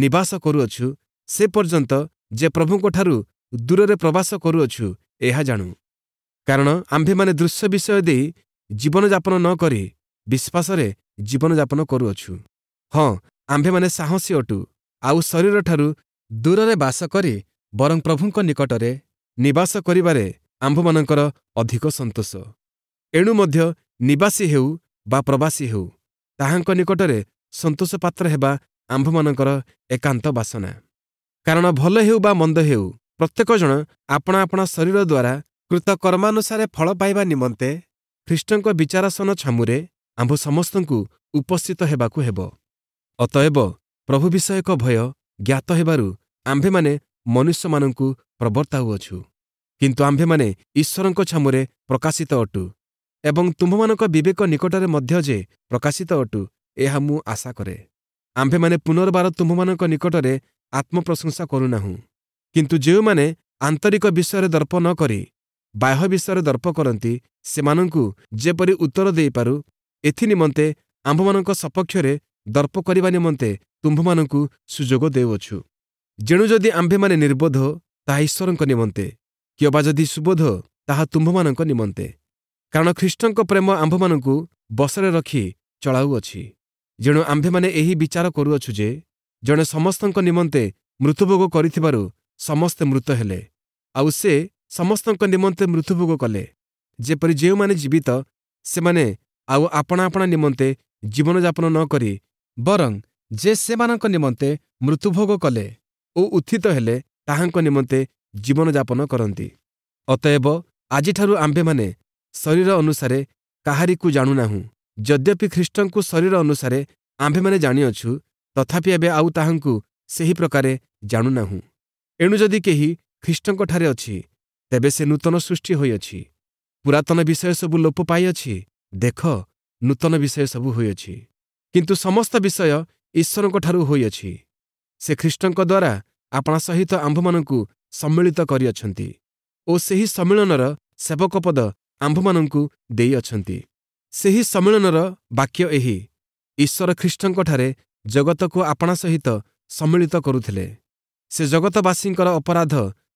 ନିବାସ କରୁଅଛୁ, ସେ ପର୍ଯ୍ୟନ୍ତ ଯେ ପ୍ରଭୁଙ୍କଠାରୁ ଦୂରରେ ପ୍ରବାସ କରୁଅଛୁ, ଏହା ଜାଣୁ। କାରଣ ଆମ୍ଭେମାନେ ଦୃଶ୍ୟ ବିଷୟ ଦେଇ ଜୀବନଯାପନ ନ କରି ବିଶ୍ୱାସରେ ଜୀବନଯାପନ କରୁଅଛୁ। ହଁ, ଆମ୍ଭେମାନେ ସାହସୀ ଅଟୁ, ଆଉ ଶରୀରଠାରୁ ଦୂରରେ ବାସ କରି ବରଂ ପ୍ରଭୁଙ୍କ ନିକଟରେ ନିବାସ କରିବାରେ ଆମ୍ଭମାନଙ୍କର ଅଧିକ ସନ୍ତୋଷ। ଏଣୁ ମଧ୍ୟ ନିବାସୀ ହେଉ ବା ପ୍ରବାସୀ ହେଉ, ତାହାଙ୍କ ନିକଟରେ ସନ୍ତୋଷ ପାତ୍ର ହେବା ଆମ୍ଭମାନଙ୍କର ଏକାନ୍ତ ବାସନା। କାରଣ ଭଲ ହେଉ ବା ମନ୍ଦ ହେଉ, ପ୍ରତ୍ୟେକ ଜଣ ଆପଣା ଆପଣା ଶରୀର ଦ୍ୱାରା କୃତ କର୍ମାନୁସାରେ ଫଳ ପାଇବା ନିମନ୍ତେ ଖ୍ରୀଷ୍ଟଙ୍କ ବିଚାରାସନ ଛାମୁରେ ଆମ୍ଭ ସମସ୍ତଙ୍କୁ ଉପସ୍ଥିତ ହେବାକୁ ହେବ। ଅତଏବ ପ୍ରଭୁ ବିଷୟକ ଭୟ ଜ୍ଞାତ ହେବାରୁ ଆମ୍ଭେମାନେ ମନୁଷ୍ୟମାନଙ୍କୁ ପ୍ରବର୍ତ୍ତାଉଅଛୁ, କିନ୍ତୁ ଆମ୍ଭେମାନେ ଈଶ୍ୱରଙ୍କ ଛାମୁରେ ପ୍ରକାଶିତ ଅଟୁ ଏବଂ ତୁମ୍ଭମାନଙ୍କ ବିବେକ ନିକଟରେ ମଧ୍ୟ ଯେ ପ୍ରକାଶିତ ଅଟୁ, ଏହା ମୁଁ ଆଶା କରେ। ଆମ୍ଭେମାନେ ପୁନର୍ବାର ତୁମ୍ଭମାନଙ୍କ ନିକଟରେ ଆତ୍ମପ୍ରଶଂସା କରୁନାହୁଁ, କିନ୍ତୁ ଯେଉଁମାନେ ଆନ୍ତରିକ ବିଷୟରେ ଦର୍ପ ନ କରି ବାହ୍ୟ ବିଷୟରେ ଦର୍ପ କରନ୍ତି, ସେମାନଙ୍କୁ ଯେପରି ଉତ୍ତର ଦେଇପାରୁ, ଏଥିନିମନ୍ତେ ଆମ୍ଭମାନଙ୍କ ସପକ୍ଷରେ ଦର୍ପ କରିବା ନିମନ୍ତେ ତୁମ୍ଭମାନଙ୍କୁ ସୁଯୋଗ ଦେଉଅଛୁ। ଯେଣୁ ଯଦି ଆମ୍ଭେମାନେ ନିର୍ବୋଧ, ତାହା ଈଶ୍ୱରଙ୍କ ନିମନ୍ତେ, କିଅବା ଯଦି ସୁବୋଧ, ତାହା ତୁମ୍ଭମାନଙ୍କ ନିମନ୍ତେ। କାରଣ ଖ୍ରୀଷ୍ଟଙ୍କ ପ୍ରେମ ଆମ୍ଭମାନଙ୍କୁ ବଶରେ ରଖି ଚଳାଉଅଛି। ଯେଣୁ ଆମ୍ଭେମାନେ ଏହି ବିଚାର କରୁଅଛୁ ଯେ ଜଣେ ସମସ୍ତଙ୍କ ନିମନ୍ତେ ମୃତ୍ୟୁଭୋଗ କରିଥିବାରୁ ସମସ୍ତେ ମୃତ ହେଲେ, ଆଉ ସେ ସମସ୍ତଙ୍କ ନିମନ୍ତେ ମୃତ୍ୟୁଭୋଗ କଲେ, ଯେପରି ଯେଉଁମାନେ ଜୀବିତ ସେମାନେ ଆଉ ଆପଣା ଆପଣା ନିମନ୍ତେ ଜୀବନଯାପନ ନ କରି ବରଂ ଯେ ସେମାନଙ୍କ ନିମନ୍ତେ ମୃତ୍ୟୁଭୋଗ କଲେ ଓ ଉତ୍ଥିତ ହେଲେ, ତାହାଙ୍କ ନିମନ୍ତେ ଜୀବନଯାପନ କରନ୍ତି। ଅତଏବ ଆଜିଠାରୁ ଆମ୍ଭେମାନେ ଶରୀର ଅନୁସାରେ କାହାରିକୁ ଜାଣୁନାହୁଁ। ଯଦ୍ୟପି ଖ୍ରୀଷ୍ଟଙ୍କୁ ଶରୀର ଅନୁସାରେ ଆମ୍ଭେମାନେ ଜାଣିଅଛୁ, ତଥାପି ଏବେ ଆଉ ତାହାଙ୍କୁ ସେହି ପ୍ରକାରେ ଜାଣୁନାହୁଁ। ଏଣୁ ଯଦି କେହି ଖ୍ରୀଷ୍ଟଙ୍କଠାରେ ଅଛି, ତେବେ ସେ ନୂତନ ସୃଷ୍ଟି ହୋଇଅଛି। ପୁରାତନ ବିଷୟ ସବୁ ଲୋପ ପାଇଅଛି, ଦେଖ, ନୂତନ ବିଷୟ ସବୁ ହୋଇଅଛି। କିନ୍ତୁ ସମସ୍ତ ବିଷୟ ଈଶ୍ୱରଙ୍କଠାରୁ ହୋଇଅଛି। ସେ ଖ୍ରୀଷ୍ଟଙ୍କ ଦ୍ୱାରା ଆପଣା ସହିତ ଆମ୍ଭମାନଙ୍କୁ ସମ୍ମିଳିତ କରିଅଛନ୍ତି ଓ ସେହି ସମ୍ମିଳନର ସେବକ ପଦ ଆମ୍ଭମାନଙ୍କୁ ଦେଇଅଛନ୍ତି। ସେହି ସମ୍ମିଳନର ବାକ୍ୟ ଏହି, ଈଶ୍ୱର ଖ୍ରୀଷ୍ଟଙ୍କଠାରେ ଜଗତକୁ ଆପଣା ସହିତ ସମ୍ମିଳିତ କରୁଥିଲେ। ସେ ଜଗତବାସୀଙ୍କର ଅପରାଧ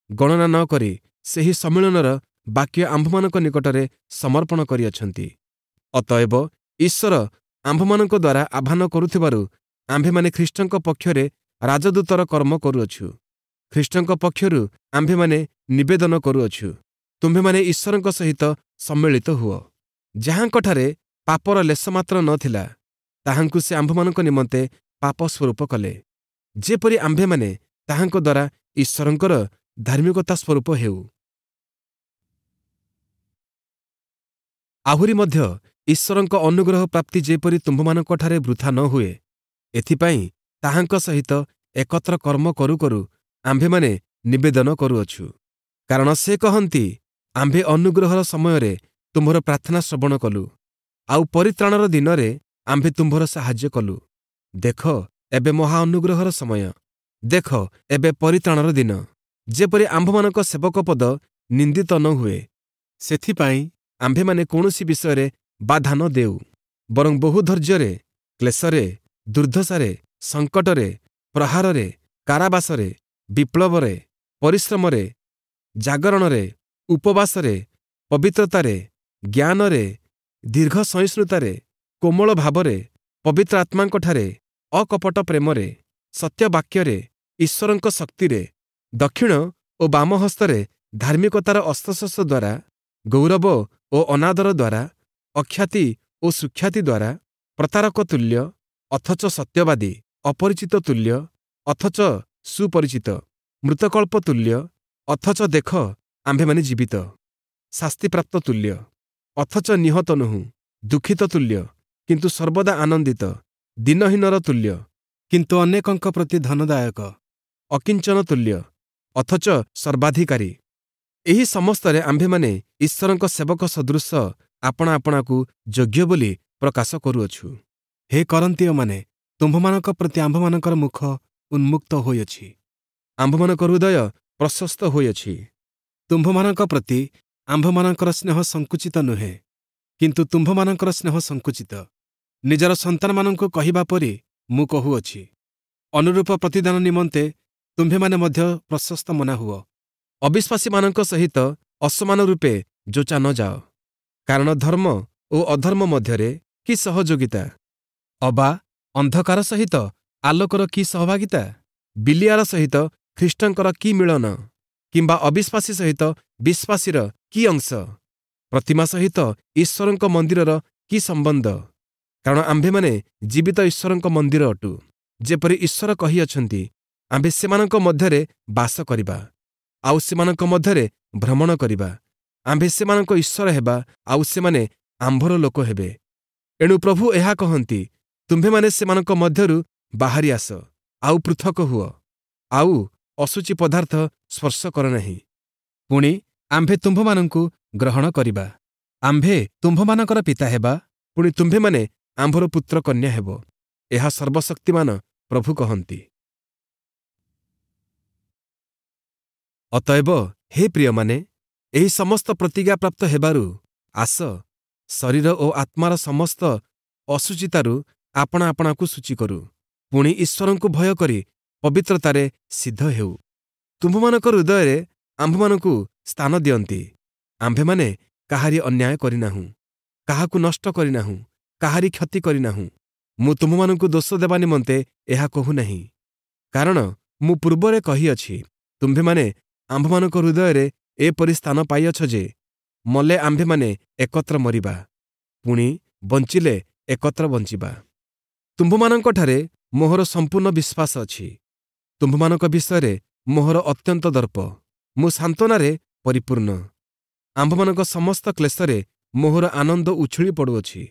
ଗଣନା ନ କରି ସେହି ସମ୍ମିଳନର ବାକ୍ୟ ଆମ୍ଭମାନଙ୍କ ନିକଟରେ ସମର୍ପଣ କରିଅଛନ୍ତି। ଅତଏବ ଈଶ୍ୱର ଆମ୍ଭମାନଙ୍କ ଦ୍ୱାରା ଆହ୍ୱାନ କରୁଥିବାରୁ ଆମ୍ଭେମାନେ ଖ୍ରୀଷ୍ଟଙ୍କ ପକ୍ଷରେ ରାଜଦୂତର କର୍ମ କରୁଅଛୁ। ଖ୍ରୀଷ୍ଟଙ୍କ ପକ୍ଷରୁ ଆମ୍ଭେମାନେ ନିବେଦନ କରୁଅଛୁ, ତୁମ୍ଭେମାନେ ଈଶ୍ୱରଙ୍କ ସହିତ ସମ୍ମିଳିତ ହୁଅ। ଯାହାଙ୍କଠାରେ ପାପର ଲେଶମାତ୍ର ନ ଥିଲା, ତାହାଙ୍କୁ ସେ ଆମ୍ଭମାନଙ୍କ ନିମନ୍ତେ ପାପ ସ୍ୱରୂପ କଲେ, ଯେପରି ଆମ୍ଭେମାନେ ତାହାଙ୍କ ଦ୍ୱାରା ଈଶ୍ୱରଙ୍କର ଧାର୍ମିକତା ସ୍ୱରୂପ ହେଉ। ଆହୁରି ମଧ୍ୟ ଈଶ୍ୱରଙ୍କ ଅନୁଗ୍ରହ ପ୍ରାପ୍ତି ଯେପରି ତୁମ୍ଭମାନଙ୍କଠାରେ ବୃଥା ନ ହୁଏ, ଏଥିପାଇଁ ତାହାଙ୍କ ସହିତ ଏକତ୍ର କର୍ମ କରୁ କରୁ ଆମ୍ଭେମାନେ ନିବେଦନ କରୁଅଛୁ। କାରଣ ସେ କହନ୍ତି, ଆମ୍ଭେ ଅନୁଗ୍ରହର ସମୟରେ ତୁମ୍ଭର ପ୍ରାର୍ଥନା ଶ୍ରବଣ କଲୁ, ଆଉ ପରିତ୍ରାଣର ଦିନରେ ଆମ୍ଭେ ତୁମ୍ଭର ସାହାଯ୍ୟ କଲୁ। ଦେଖ, ଏବେ ମହା ଅନୁଗ୍ରହର ସମୟ, ଦେଖ, ଏବେ ପରିତ୍ରାଣର ଦିନ। ଯେପରି ଆମ୍ଭମାନଙ୍କ ସେବକ ପଦ ନିନ୍ଦିତ ନ ହୁଏ, ସେଥିପାଇଁ ଆମ୍ଭେମାନେ କୌଣସି ବିଷୟରେ ବାଧା ନ ଦେଉ, ବରଂ ବହୁ ଧୈର୍ଯ୍ୟରେ, କ୍ଲେଶରେ, ଦୁର୍ଦ୍ଦଶାରେ, ସଙ୍କଟରେ, ପ୍ରହାରରେ, କାରାବାସରେ, ବିପ୍ଳବରେ, ପରିଶ୍ରମରେ, ଜାଗରଣରେ, ଉପବାସରେ, ପବିତ୍ରତାରେ, ଜ୍ଞାନରେ, ଦୀର୍ଘ ସହିଷ୍ଣୁତାରେ, କୋମଳ ଭାବରେ, ପବିତ୍ର ଆତ୍ମାଙ୍କଠାରେ, ଅକପଟ ପ୍ରେମରେ, ସତ୍ୟ ବାକ୍ୟରେ, ଈଶ୍ୱରଙ୍କ ଶକ୍ତିରେ, ଦକ୍ଷିଣ ଓ ବାମ ହସ୍ତରେ ଧାର୍ମିକତାର ଅସ୍ତ୍ରଶସ୍ତ୍ର ଦ୍ୱାରା, ଗୌରବ ଓ ଅନାଦର ଦ୍ୱାରା, ଅଖ୍ୟାତି ଓ ସୁଖ୍ୟାତି ଦ୍ୱାରା, ପ୍ରତାରକ ତୁଲ୍ୟ ଅଥଚ ସତ୍ୟବାଦୀ, ଅପରିଚିତ ତୁଲ୍ୟ ଅଥଚ ସୁପରିଚିତ, ମୃତକଳ୍ପ ତୁଲ୍ୟ ଅଥଚ ଦେଖ ଆମ୍ଭେମାନେ ଜୀବିତ, ଶାସ୍ତିପ୍ରାପ୍ତ ତୁଲ୍ୟ ଅଥଚ ନିହତ ନୋହୁଁ, ଦୁଃଖିତ ତୁଲ୍ୟ କିନ୍ତୁ ସର୍ବଦା ଆନନ୍ଦିତ, ଦିନହୀନର ତୁଲ୍ୟ କିନ୍ତୁ ଅନେକଙ୍କ ପ୍ରତି ଧନଦାୟକ, ଅକିଞ୍ଚନ ତୁଲ୍ୟ ଅଥଚ ସର୍ବାଧିକାରୀ। ଏହି ସମସ୍ତରେ ଆମ୍ଭେମାନେ ଈଶ୍ୱରଙ୍କ ସେବକ ସଦୃଶ ଆପଣା ଆପଣାକୁ ଯୋଗ୍ୟ ବୋଲି ପ୍ରକାଶ କରୁଅଛୁ। ହେ କରନ୍ତୀୟମାନେ, ତୁମ୍ଭମାନଙ୍କ ପ୍ରତି ଆମ୍ଭମାନଙ୍କର ମୁଖ ଉନ୍ମୁକ୍ତ ହୋଇଅଛି, ଆମ୍ଭମାନଙ୍କ ହୃଦୟ ପ୍ରଶସ୍ତ ହୋଇଅଛି। ତୁମ୍ଭମାନଙ୍କ ପ୍ରତି ଆମ୍ଭମାନଙ୍କର ସ୍ନେହ ସଙ୍କୁଚିତ ନୁହେଁ, କିନ୍ତୁ ତୁମ୍ଭମାନଙ୍କର ସ୍ନେହ ସଙ୍କୁଚିତ। ନିଜର ସନ୍ତାନମାନଙ୍କୁ କହିବା ପରି ମୁଁ କହୁଅଛି, ଅନୁରୂପ ପ୍ରତିଦାନ ନିମନ୍ତେ ତୁମ୍ଭେମାନେ ମଧ୍ୟ ପ୍ରଶସ୍ତ ମନା ହୁଅ। ଅବିଶ୍ୱାସୀମାନଙ୍କ ସହିତ ଅସମାନ ରୂପେ ଯୋଚା ନ ଯାଅ, କାରଣ ଧର୍ମ ଓ ଅଧର୍ମ ମଧ୍ୟରେ କି ସହଯୋଗିତା? ଅବା ଅନ୍ଧକାର ସହିତ ଆଲୋକର କି ସହଭାଗିତା? ବିଲିଆର ସହିତ ଖ୍ରୀଷ୍ଟଙ୍କର କି ମିଳନ? କିମ୍ବା ଅବିଶ୍ୱାସୀ ସହିତ ବିଶ୍ୱାସୀର କି ଅଂଶ? ପ୍ରତିମା ସହିତ ଈଶ୍ୱରଙ୍କ ମନ୍ଦିରର କି ସମ୍ବନ୍ଧ? କାରଣ ଆମ୍ଭେମାନେ ଜୀବିତ ଈଶ୍ୱରଙ୍କ ମନ୍ଦିର ଅଟୁ। ଯେପରି ଈଶ୍ୱର କହିଅଛନ୍ତି, ଆମ୍ଭେ ସେମାନଙ୍କ ମଧ୍ୟରେ ବାସ କରିବା, ଆଉ ସେମାନଙ୍କ ମଧ୍ୟରେ ଭ୍ରମଣ କରିବା। ଆମ୍ଭେ ସେମାନଙ୍କ ଈଶ୍ୱର ହେବା, ଆଉ ସେମାନେ ଆମ୍ଭର ଲୋକ ହେବେ। ଏଣୁ ପ୍ରଭୁ ଏହା କହନ୍ତି, ତୁମ୍ଭେମାନେ ସେମାନଙ୍କ ମଧ୍ୟରୁ ବାହାରି ଆସ, ଆଉ ପୃଥକ ହୁଅ, ଆଉ ଅଶୁଚି ପଦାର୍ଥ ସ୍ପର୍ଶ କର ନାହିଁ। ପୁଣି ଆମ୍ଭେ ତୁମ୍ଭମାନଙ୍କୁ ଗ୍ରହଣ କରିବା, ଆମ୍ଭେ ତୁମ୍ଭମାନଙ୍କର ପିତା ହେବା, ପୁଣି ତୁମ୍ଭେମାନେ ଆମ୍ଭର ପୁତ୍ର କନ୍ୟା ହେବ। ଏହା ସର୍ବଶକ୍ତିମାନ ପ୍ରଭୁ କହନ୍ତି। ଅତଏବ ହେ ପ୍ରିୟମାନେ, ଏହି ସମସ୍ତ ପ୍ରତିଜ୍ଞାପ୍ରାପ୍ତ ହେବାରୁ ଆସ, ଶରୀର ଓ ଆତ୍ମାର ସମସ୍ତ ଅଶୁଚିତାରୁ ଆପଣା ଆପଣାକୁ ଶୁଚି କରୁ, ପୁଣି ଈଶ୍ୱରଙ୍କୁ ଭୟ କରି ପବିତ୍ରତାରେ ସିଦ୍ଧ ହେଉ। ତୁମ୍ଭମାନଙ୍କ ହୃଦୟରେ ଆମ୍ଭମାନଙ୍କୁ ସ୍ଥାନ ଦିଅନ୍ତି। ଆମ୍ଭେମାନେ କାହାରି ଅନ୍ୟାୟ କରିନାହୁଁ, କାହାକୁ ନଷ୍ଟ କରିନାହୁଁ, କାହାରି କ୍ଷତି କରିନାହୁଁ। ମୁଁ ତୁମ୍ଭମାନଙ୍କୁ ଦୋଷ ଦେବା ନିମନ୍ତେ ଏହା କହୁନାହିଁ, କାରଣ ମୁଁ ପୂର୍ବରେ କହିଅଛି, ତୁମ୍ଭେମାନେ ଆମ୍ଭମାନଙ୍କ ହୃଦୟରେ ଏପରି ସ୍ଥାନ ପାଇଅଛ ଯେ ମଲେ ଆମ୍ଭେମାନେ ଏକତ୍ର ମରିବା, ପୁଣି ବଞ୍ଚିଲେ ଏକତ୍ର ବଞ୍ଚିବା। ତୁମ୍ଭମାନଙ୍କଠାରେ ମୋହର ସମ୍ପୂର୍ଣ୍ଣ ବିଶ୍ୱାସ ଅଛି। ତୁମ୍ଭମାନଙ୍କ ବିଷୟରେ ମୋହର ଅତ୍ୟନ୍ତ ଦର୍ପ। ମୁଁ ସାନ୍ତ୍ୱନାରେ ପରିପୂର୍ଣ୍ଣ। ଆମ୍ଭମାନଙ୍କ ସମସ୍ତ କ୍ଲେଶରେ ମୋହର ଆନନ୍ଦ ଉଛୁଳି ପଡ଼ୁଅଛି,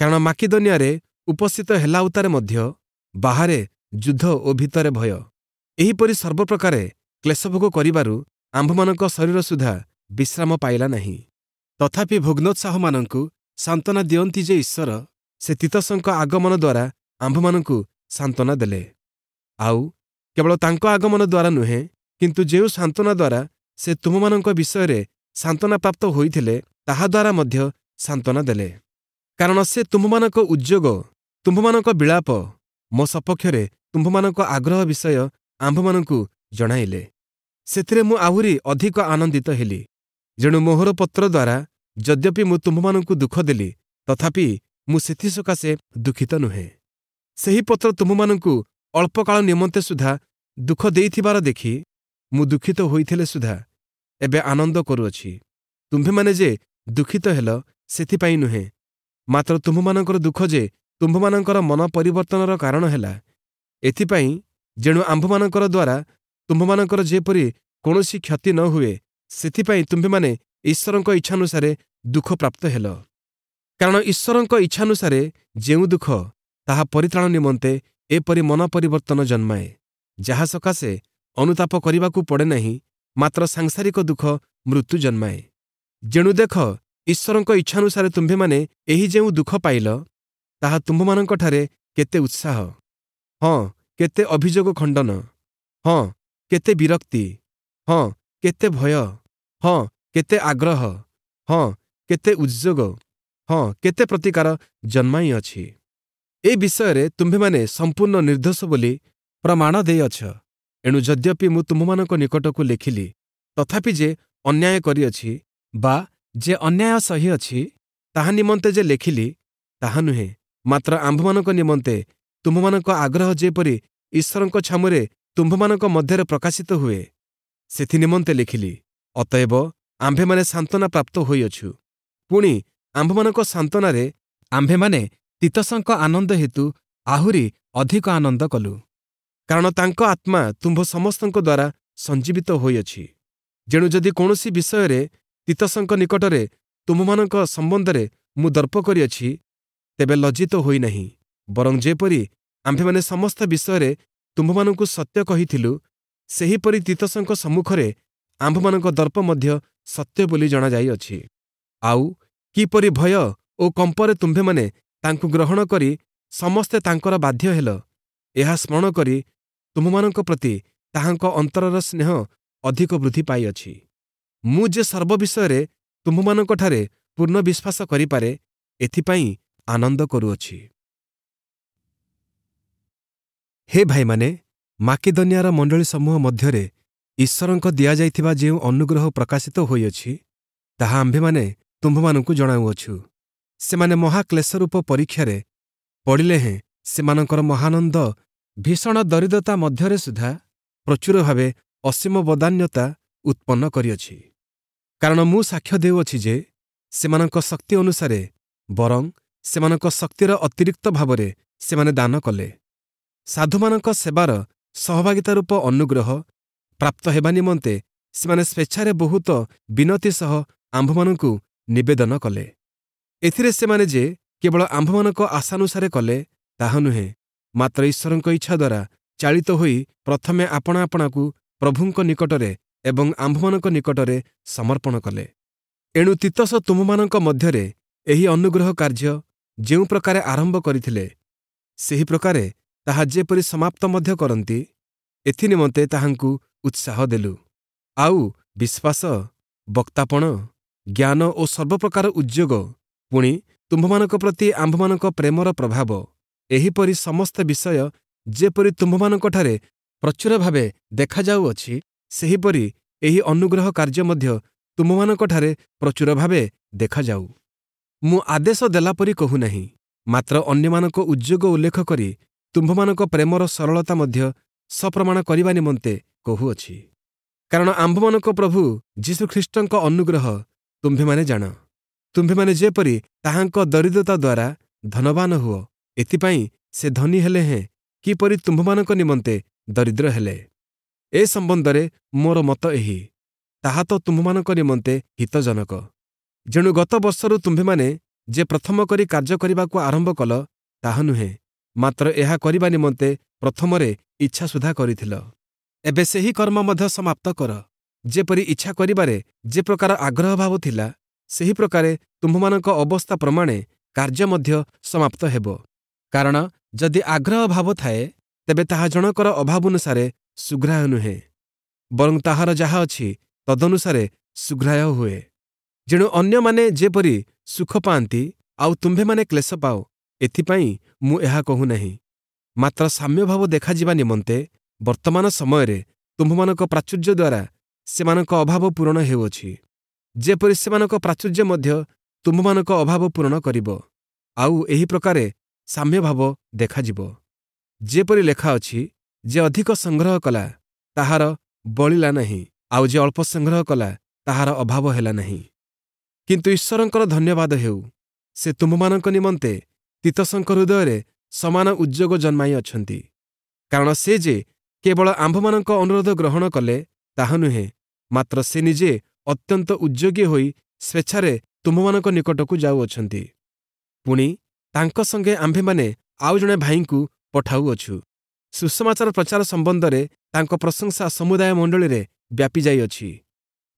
କାରଣ ମାକିଦନିଆରେ ଉପସ୍ଥିତ ହେଲା ଉତ୍ତାରେ ମଧ୍ୟ ବାହାରେ ଯୁଦ୍ଧ ଓ ଭିତରେ ଭୟ। ଏହିପରି ସର୍ବପ୍ରକାରେ କ୍ଲେଶଭୋଗ କରିବାରୁ ଆମ୍ଭମାନଙ୍କ ଶରୀର ସୁଦ୍ଧା ବିଶ୍ରାମ ପାଇଲା ନାହିଁ। ତଥାପି ଭଗ୍ନୋତ୍ସାହମାନଙ୍କୁ ସାନ୍ତ୍ୱନା ଦିଅନ୍ତି ଯେ ଈଶ୍ୱର ସେ ତୀତସଙ୍କ ଆଗମନ ଦ୍ୱାରା ଆମ୍ଭମାନଙ୍କୁ ସାନ୍ତ୍ୱନା ଦେଲେ। ଆଉ କେବଳ ତାଙ୍କ ଆଗମନ ଦ୍ୱାରା ନୁହେଁ, କିନ୍ତୁ ଯେଉଁ ସାନ୍ତ୍ୱନା ଦ୍ୱାରା ସେ ତୁମମାନଙ୍କ ବିଷୟରେ ସାନ୍ତ୍ୱନା ପ୍ରାପ୍ତ ହୋଇଥିଲେ, ତାହାଦ୍ୱାରା ମଧ୍ୟ ସାନ୍ତ୍ୱନା ଦେଲେ। କାରଣ ସେ ତୁମ୍ଭମାନଙ୍କ ଉଦ୍ଯୋଗ, ତୁମ୍ଭମାନଙ୍କ ବିଳାପ, ମୋ ସପକ୍ଷରେ ତୁମ୍ଭମାନଙ୍କ ଆଗ୍ରହ ବିଷୟ ଆମ୍ଭମାନଙ୍କୁ ଜଣାଇଲେ। ସେଥିରେ ମୁଁ ଆହୁରି ଅଧିକ ଆନନ୍ଦିତ ହେଲି। ଯେଣୁ ମୋହର ପତ୍ର ଦ୍ୱାରା ଯଦ୍ୟପି ମୁଁ ତୁମ୍ଭମାନଙ୍କୁ ଦୁଃଖ ଦେଲି, ତଥାପି ମୁଁ ସେଥିସକାଶେ ଦୁଃଖିତ ନୁହେଁ। ସେହି ପତ୍ର ତୁମ୍ଭମାନଙ୍କୁ ଅଳ୍ପକାଳ ନିମନ୍ତେ ସୁଦ୍ଧା ଦୁଃଖ ଦେଇଥିବାର ଦେଖି ମୁଁ ଦୁଃଖିତ ହୋଇଥିଲେ ସୁଦ୍ଧା ଏବେ ଆନନ୍ଦ କରୁଅଛି। ତୁମ୍ଭେମାନେ ଯେ ଦୁଃଖିତ ହେଲ, ସେଥିପାଇଁ ନୁହେଁ, ମାତ୍ର ତୁମ୍ଭମାନଙ୍କର ଦୁଃଖ ଯେ ତୁମ୍ଭମାନଙ୍କର ମନ ପରିବର୍ତ୍ତନର କାରଣ ହେଲା, ଏଥିପାଇଁ। ଯେଣୁ ଆମ୍ଭମାନଙ୍କର ଦ୍ୱାରା ତୁମ୍ଭମାନଙ୍କର ଯେପରି କୌଣସି କ୍ଷତି ନ ହୁଏ, ସେଥିପାଇଁ ତୁମ୍ଭେମାନେ ଈଶ୍ୱରଙ୍କ ଇଚ୍ଛାନୁସାରେ ଦୁଃଖ ପ୍ରାପ୍ତ ହେଲ। କାରଣ ଈଶ୍ୱରଙ୍କ ଇଚ୍ଛାନୁସାରେ ଯେଉଁ ଦୁଃଖ, ତାହା ପରିତ୍ରାଣ ନିମନ୍ତେ ଏପରି ମନ ପରିବର୍ତ୍ତନ ଜନ୍ମାଏ, ଯାହା ସକାଶେ ଅନୁତାପ କରିବାକୁ ପଡ଼େ ନାହିଁ, ମାତ୍ର ସାଂସାରିକ ଦୁଃଖ ମୃତ୍ୟୁ ଜନ୍ମାଏ। ଯେଣୁ ଦେଖ, ଈଶ୍ୱରଙ୍କ ଇଚ୍ଛାନୁସାରେ ତୁମ୍ଭେମାନେ ଏହି ଯେଉଁ ଦୁଃଖ ପାଇଲ, ତାହା ତୁମ୍ଭମାନଙ୍କଠାରେ କେତେ ଉତ୍ସାହ, ହଁ କେତେ ଅଭିଯୋଗ ଖଣ୍ଡନ, ହଁ କେତେ ବିରକ୍ତି, ହଁ କେତେ ଭୟ, ହଁ କେତେ ଆଗ୍ରହ, ହଁ କେତେ ଉଦ୍ଯୋଗ, ହଁ କେତେ ପ୍ରତିକାର ଜନ୍ମାଇଅଛି। ଏ ବିଷୟରେ ତୁମ୍ଭେମାନେ ସମ୍ପୂର୍ଣ୍ଣ ନିର୍ଦ୍ଦୋଷ ବୋଲି ପ୍ରମାଣ ଦେଇଅଛ। ଏଣୁ ଯଦ୍ୟପି ମୁଁ ତୁମ୍ଭମାନଙ୍କ ନିକଟକୁ ଲେଖିଲି, ତଥାପି ଯେ ଅନ୍ୟାୟ କରିଅଛି ବା ଯେ ଅନ୍ୟାୟ ସହିଅଛି, ତାହା ନିମନ୍ତେ ଯେ ଲେଖିଲି ତାହା ନୁହେଁ, ମାତ୍ର ଆମ୍ଭମାନଙ୍କ ନିମନ୍ତେ ତୁମ୍ଭମାନଙ୍କ ଆଗ୍ରହ ଯେପରି ଈଶ୍ୱରଙ୍କ ଛାମୁରେ ତୁମ୍ଭମାନଙ୍କ ମଧ୍ୟରେ ପ୍ରକାଶିତ ହୁଏ, ସେଥି ନିମନ୍ତେ ଲେଖିଲି। ଅତଏବ ଆମ୍ଭେମାନେ ସାନ୍ତ୍ୱନା ପ୍ରାପ୍ତ ହୋଇଅଛୁ। ପୁଣି ଆମ୍ଭମାନଙ୍କ ସାନ୍ତ୍ୱନାରେ ଆମ୍ଭେମାନେ ତୀତସଙ୍କ ଆନନ୍ଦ ହେତୁ ଆହୁରି ଅଧିକ ଆନନ୍ଦ କଲୁ, କାରଣ ତାଙ୍କ ଆତ୍ମା ତୁମ୍ଭ ସମସ୍ତଙ୍କ ଦ୍ୱାରା ସଞ୍ଜୀବିତ ହୋଇଅଛି। ଯେଣୁ ଯଦି କୌଣସି ବିଷୟରେ ତୀତସଙ୍କ ନିକଟରେ ତୁମ୍ଭମାନଙ୍କ ସମ୍ବନ୍ଧରେ ମୁଁ ଦର୍ପ କରିଅଛି, ତେବେ ଲଜ୍ଜିତ ହୋଇନାହିଁ, ବରଂ ଯେପରି ଆମ୍ଭେମାନେ ସମସ୍ତ ବିଷୟରେ ତୁମ୍ଭମାନଙ୍କୁ ସତ୍ୟ କହିଥିଲୁ, ସେହିପରି ତୀତସଙ୍କ ସମ୍ମୁଖରେ ଆମ୍ଭମାନଙ୍କ ଦର୍ପ ମଧ୍ୟ ସତ୍ୟ ବୋଲି ଜଣାଯାଇଅଛି। ଆଉ କିପରି ଭୟ ଓ କମ୍ପରେ ତୁମ୍ଭେମାନେ ତାଙ୍କୁ ଗ୍ରହଣ କରି ସମସ୍ତେ ତାଙ୍କର ବାଧ୍ୟ ହେଲ, ଏହା ସ୍ମରଣ କରି ତୁମ୍ଭମାନଙ୍କ ପ୍ରତି ତାହାଙ୍କ ଅନ୍ତରର ସ୍ନେହ ଅଧିକ ବୃଦ୍ଧି ପାଇଅଛି। ମୁଁ ଯେ ସର୍ବ ବିଷୟରେ ତୁମ୍ଭମାନଙ୍କଠାରେ ପୂର୍ଣ୍ଣ ବିଶ୍ୱାସ କରିପାରେ, ଏଥିପାଇଁ ଆନନ୍ଦ କରୁଅଛି। ହେ ଭାଇମାନେ, ମାକେଦନିଆର ମଣ୍ଡଳୀ ସମୂହ ମଧ୍ୟରେ ଈଶ୍ୱରଙ୍କ ଦିଆଯାଇଥିବା ଯେଉଁ ଅନୁଗ୍ରହ ପ୍ରକାଶିତ ହୋଇଅଛି, ତାହା ଆମ୍ଭେମାନେ ତୁମ୍ଭମାନଙ୍କୁ ଜଣାଉଅଛୁ। ସେମାନେ ମହାକ୍ଲେଶରୂପ ପରୀକ୍ଷାରେ ପଡ଼ିଲେ ହେଁ ସେମାନଙ୍କର ମହାନନ୍ଦ ଭୀଷଣ ଦରିଦ୍ରତା ମଧ୍ୟରେ ସୁଦ୍ଧା ପ୍ରଚୁର ଭାବେ ଅସୀମ ବଦାନ୍ୟତା ଉତ୍ପନ୍ନ କରିଅଛି। କାରଣ ମୁଁ ସାକ୍ଷ୍ୟ ଦେଉଅଛି ଯେ ସେମାନଙ୍କ ଶକ୍ତି ଅନୁସାରେ, ବରଂ ସେମାନଙ୍କ ଶକ୍ତିର ଅତିରିକ୍ତ ଭାବରେ ସେମାନେ ଦାନ କଲେ। ସାଧୁମାନଙ୍କ ସେବାର ସହଭାଗିତା ରୂପ ଅନୁଗ୍ରହ ପ୍ରାପ୍ତ ହେବା ନିମନ୍ତେ ସେମାନେ ସ୍ୱେଚ୍ଛାରେ ବହୁତ ବିନତି ସହ ଆମ୍ଭମାନଙ୍କୁ ନିବେଦନ କଲେ। ଏଥିରେ ସେମାନେ ଯେ କେବଳ ଆମ୍ଭମାନଙ୍କ ଆଶାନୁସାରେ କଲେ ତାହା ନୁହେଁ, ମାତ୍ର ଈଶ୍ୱରଙ୍କ ଇଚ୍ଛା ଦ୍ୱାରା ଚାଳିତ ହୋଇ ପ୍ରଥମେ ଆପଣା ଆପଣାକୁ ପ୍ରଭୁଙ୍କ ନିକଟରେ ଏବଂ ଆମ୍ଭମାନଙ୍କ ନିକଟରେ ସମର୍ପଣ କଲେ। ଏଣୁ ତୀତସ ତୁମ୍ଭମାନଙ୍କ ମଧ୍ୟରେ ଏହି ଅନୁଗ୍ରହ କାର୍ଯ୍ୟ ଯେଉଁ ପ୍ରକାରେ ଆରମ୍ଭ କରିଥିଲେ, ସେହି ପ୍ରକାରେ ତାହା ଯେପରି ସମାପ୍ତ ମଧ୍ୟ କରନ୍ତି, ଏଥିନିମନ୍ତେ ତାହାଙ୍କୁ ଉତ୍ସାହ ଦେଲୁ। ଆଉ ବିଶ୍ୱାସ, ବକ୍ତାପଣ, ଜ୍ଞାନ ଓ ସର୍ବପ୍ରକାର ଉଦ୍ଯୋଗ, ପୁଣି ତୁମ୍ଭମାନଙ୍କ ପ୍ରତି ଆମ୍ଭମାନଙ୍କ ପ୍ରେମର ପ୍ରଭାବ, ଏହିପରି ସମସ୍ତ ବିଷୟ ଯେପରି ତୁମ୍ଭମାନଙ୍କଠାରେ ପ୍ରଚୁର ଭାବେ ଦେଖାଯାଉଅଛି, ସେହିପରି ଏହି ଅନୁଗ୍ରହ କାର୍ଯ୍ୟ ମଧ୍ୟ ତୁମ୍ଭମାନଙ୍କଠାରେ ପ୍ରଚୁର ଭାବେ ଦେଖାଯାଉ। ମୁଁ ଆଦେଶ ଦେଲା ପରି କହୁନାହିଁ, ମାତ୍ର ଅନ୍ୟମାନଙ୍କ ଉଦ୍ଯୋଗ ଉଲ୍ଲେଖ କରି ତୁମ୍ଭମାନଙ୍କ ପ୍ରେମର ସରଳତା ମଧ୍ୟ ସପ୍ରମାଣ କରିବା ନିମନ୍ତେ କହୁଅଛି। କାରଣ ଆମ୍ଭମାନଙ୍କ ପ୍ରଭୁ ଯୀଶୁଖ୍ରୀଷ୍ଟଙ୍କ ଅନୁଗ୍ରହ ତୁମ୍ଭେମାନେ ଜାଣ। ତୁମ୍ଭେମାନେ ଯେପରି ତାହାଙ୍କ ଦରିଦ୍ରତା ଦ୍ୱାରା ଧନବାନ ହୁଅ, ଏଥିପାଇଁ ସେ ଧନୀ ହେଲେ ହେଁ କିପରି ତୁମ୍ଭମାନଙ୍କ ନିମନ୍ତେ ଦରିଦ୍ର ହେଲେ। ଏ ସମ୍ବନ୍ଧରେ ମୋର ମତ ଏହି, ତାହା ତ ତୁମ୍ଭମାନଙ୍କ ନିମନ୍ତେ ହିତଜନକ। ଯେଣୁ ଗତ ବର୍ଷରୁ ତୁମ୍ଭେମାନେ ଯେ ପ୍ରଥମ କରି କାର୍ଯ୍ୟ କରିବାକୁ ଆରମ୍ଭ କଲ ତାହା ନୁହେଁ, ମାତ୍ର ଏହା କରିବା ନିମନ୍ତେ ପ୍ରଥମରେ ଇଚ୍ଛା ସୁଦ୍ଧା କରିଥିଲ, ଏବେ ସେହି କର୍ମ ମଧ୍ୟ ସମାପ୍ତ କର। ଯେପରି ଇଚ୍ଛା କରିବାରେ ଯେ ପ୍ରକାର ଆଗ୍ରହ ଭାବ ଥିଲା, ସେହି ପ୍ରକାରେ ତୁମ୍ଭମାନଙ୍କ ଅବସ୍ଥା ପ୍ରମାଣେ କାର୍ଯ୍ୟ ମଧ୍ୟ ସମାପ୍ତ ହେବ। କାରଣ ଯଦି ଆଗ୍ରହ ଭାବ ଥାଏ, ତେବେ ତାହା ଜଣକର ଅଭାବାନୁସାରେ ସୁଗ୍ରାହ୍ୟ ନୁହେଁ, ବରଂ ତାହାର ଯାହା ଅଛି ତଦନୁସାରେ ସୁଗ୍ରାହ୍ୟ ହୁଏ। ଯେଣୁ ଅନ୍ୟମାନେ ଯେପରି ସୁଖ ପାଆନ୍ତି ଆଉ ତୁମ୍ଭେମାନେ କ୍ଲେଶ ପାଅ, ଏଥିପାଇଁ ମୁଁ ଏହା କହୁନାହିଁ। ମାତ୍ର ସାମ୍ୟଭାବ ଦେଖାଯିବା ନିମନ୍ତେ ବର୍ତ୍ତମାନ ସମୟରେ ତୁମ୍ଭମାନଙ୍କ ପ୍ରାଚୁର୍ଯ୍ୟ ଦ୍ୱାରା ସେମାନଙ୍କ ଅଭାବ ପୂରଣ ହେଉଅଛି, ଯେପରି ସେମାନଙ୍କ ପ୍ରାଚୁର୍ଯ୍ୟ ମଧ୍ୟ ତୁମ୍ଭମାନଙ୍କ ଅଭାବ ପୂରଣ କରିବ, ଆଉ ଏହି ପ୍ରକାରେ ସାମ୍ୟଭାବ ଦେଖାଯିବ। ଯେପରି ଲେଖା ଅଛି, ଯେ ଅଧିକ ସଂଗ୍ରହ କଲା ତାହାର ବଳିଲା ନାହିଁ, ଆଉ ଯେ ଅଳ୍ପ ସଂଗ୍ରହ କଲା ତାହାର ଅଭାବ ହେଲା ନାହିଁ। କିନ୍ତୁ ଈଶ୍ୱରଙ୍କର ଧନ୍ୟବାଦ ହେଉ, ସେ ତୁମ୍ଭମାନଙ୍କ ନିମନ୍ତେ ତୀତସଙ୍କ ହୃଦୟରେ ସମାନ ଉଦ୍ଯୋଗ ଜନ୍ମାଇ ଅଛନ୍ତି। କାରଣ ସେ ଯେ କେବଳ ଆମ୍ଭମାନଙ୍କ ଅନୁରୋଧ ଗ୍ରହଣ କଲେ ତାହା ନୁହେଁ, ମାତ୍ର ସେ ନିଜେ ଅତ୍ୟନ୍ତ ଉଦ୍ଯୋଗୀ ହୋଇ ସ୍ୱେଚ୍ଛାରେ ତୁମ୍ଭମାନଙ୍କ ନିକଟକୁ ଯାଉଅଛନ୍ତି। ପୁଣି ତାଙ୍କ ସଙ୍ଗେ ଆମ୍ଭେମାନେ ଆଉ ଜଣେ ଭାଇଙ୍କୁ ପଠାଉଅଛୁ। ସୁସମାଚାର ପ୍ରଚାର ସମ୍ବନ୍ଧରେ ତାଙ୍କ ପ୍ରଶଂସା ସମୁଦାୟ ମଣ୍ଡଳୀରେ ବ୍ୟାପିଯାଇଅଛି।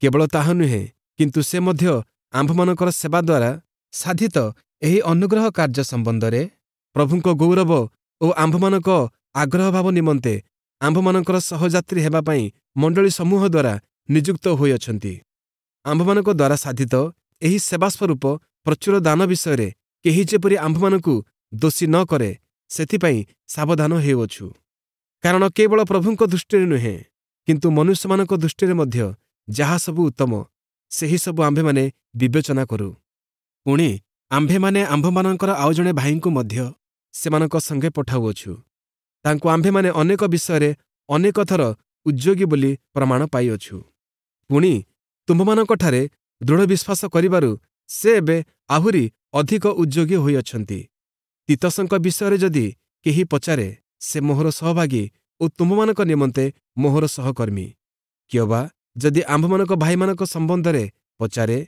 କେବଳ ତାହା ନୁହେଁ, କିନ୍ତୁ ସେ ମଧ୍ୟ ଆମ୍ଭମାନଙ୍କର ସେବା ଦ୍ୱାରା ସାଧିତ ଏହି ଅନୁଗ୍ରହ କାର୍ଯ୍ୟ ସମ୍ବନ୍ଧରେ ପ୍ରଭୁଙ୍କ ଗୌରବ ଓ ଆମ୍ଭମାନଙ୍କ ଆଗ୍ରହଭାବ ନିମନ୍ତେ ଆମ୍ଭମାନଙ୍କର ସହଯାତ୍ରୀ ହେବା ପାଇଁ ମଣ୍ଡଳୀ ସମୂହ ଦ୍ୱାରା ନିଯୁକ୍ତ ହୋଇଅଛନ୍ତି। ଆମ୍ଭମାନଙ୍କ ଦ୍ୱାରା ସାଧିତ ଏହି ସେବା ସ୍ୱରୂପ ପ୍ରଚୁର ଦାନ ବିଷୟରେ କେହି ଯେପରି ଆମ୍ଭମାନଙ୍କୁ ଦୋଷୀ ନ କରେ, ସେଥିପାଇଁ ସାବଧାନ ହେଉଅଛୁ। କାରଣ କେବଳ ପ୍ରଭୁଙ୍କ ଦୃଷ୍ଟିରେ ନୁହେଁ, କିନ୍ତୁ ମନୁଷ୍ୟମାନଙ୍କ ଦୃଷ୍ଟିରେ ମଧ୍ୟ ଯାହା ସବୁ ଉତ୍ତମ, ସେହି ସବୁ ଆମ୍ଭେମାନେ ବିବେଚନା କରୁ। ପୁଣି ଆମ୍ଭେମାନେ ଆମ୍ଭମାନଙ୍କର ଆଉ ଜଣେ ଭାଇଙ୍କୁ ମଧ୍ୟ ସେମାନଙ୍କ ସଙ୍ଗେ ପଠାଉଅଛୁ। ତାଙ୍କୁ ଆମ୍ଭେମାନେ ଅନେକ ବିଷୟରେ ଅନେକ ଥର ଉଦ୍ଯୋଗୀ ବୋଲି ପ୍ରମାଣ ପାଇଅଛୁ। ପୁଣି ତୁମ୍ଭମାନଙ୍କଠାରେ ଦୃଢ଼ ବିଶ୍ୱାସ କରିବାରୁ ସେ ଏବେ ଆହୁରି ଅଧିକ ଉଦ୍ଯୋଗୀ ହୋଇଅଛନ୍ତି। ତୀତସଙ୍କ ବିଷୟରେ ଯଦି କେହି ପଚାରେ, ସେ ମୋହର ସହଭାଗୀ ଓ ତୁମ୍ଭମାନଙ୍କ ନିମନ୍ତେ ମୋହର ସହକର୍ମୀ। କିଅବା ଯଦି ଆମ୍ଭମାନଙ୍କ ଭାଇମାନଙ୍କ ସମ୍ବନ୍ଧରେ ପଚାରେ,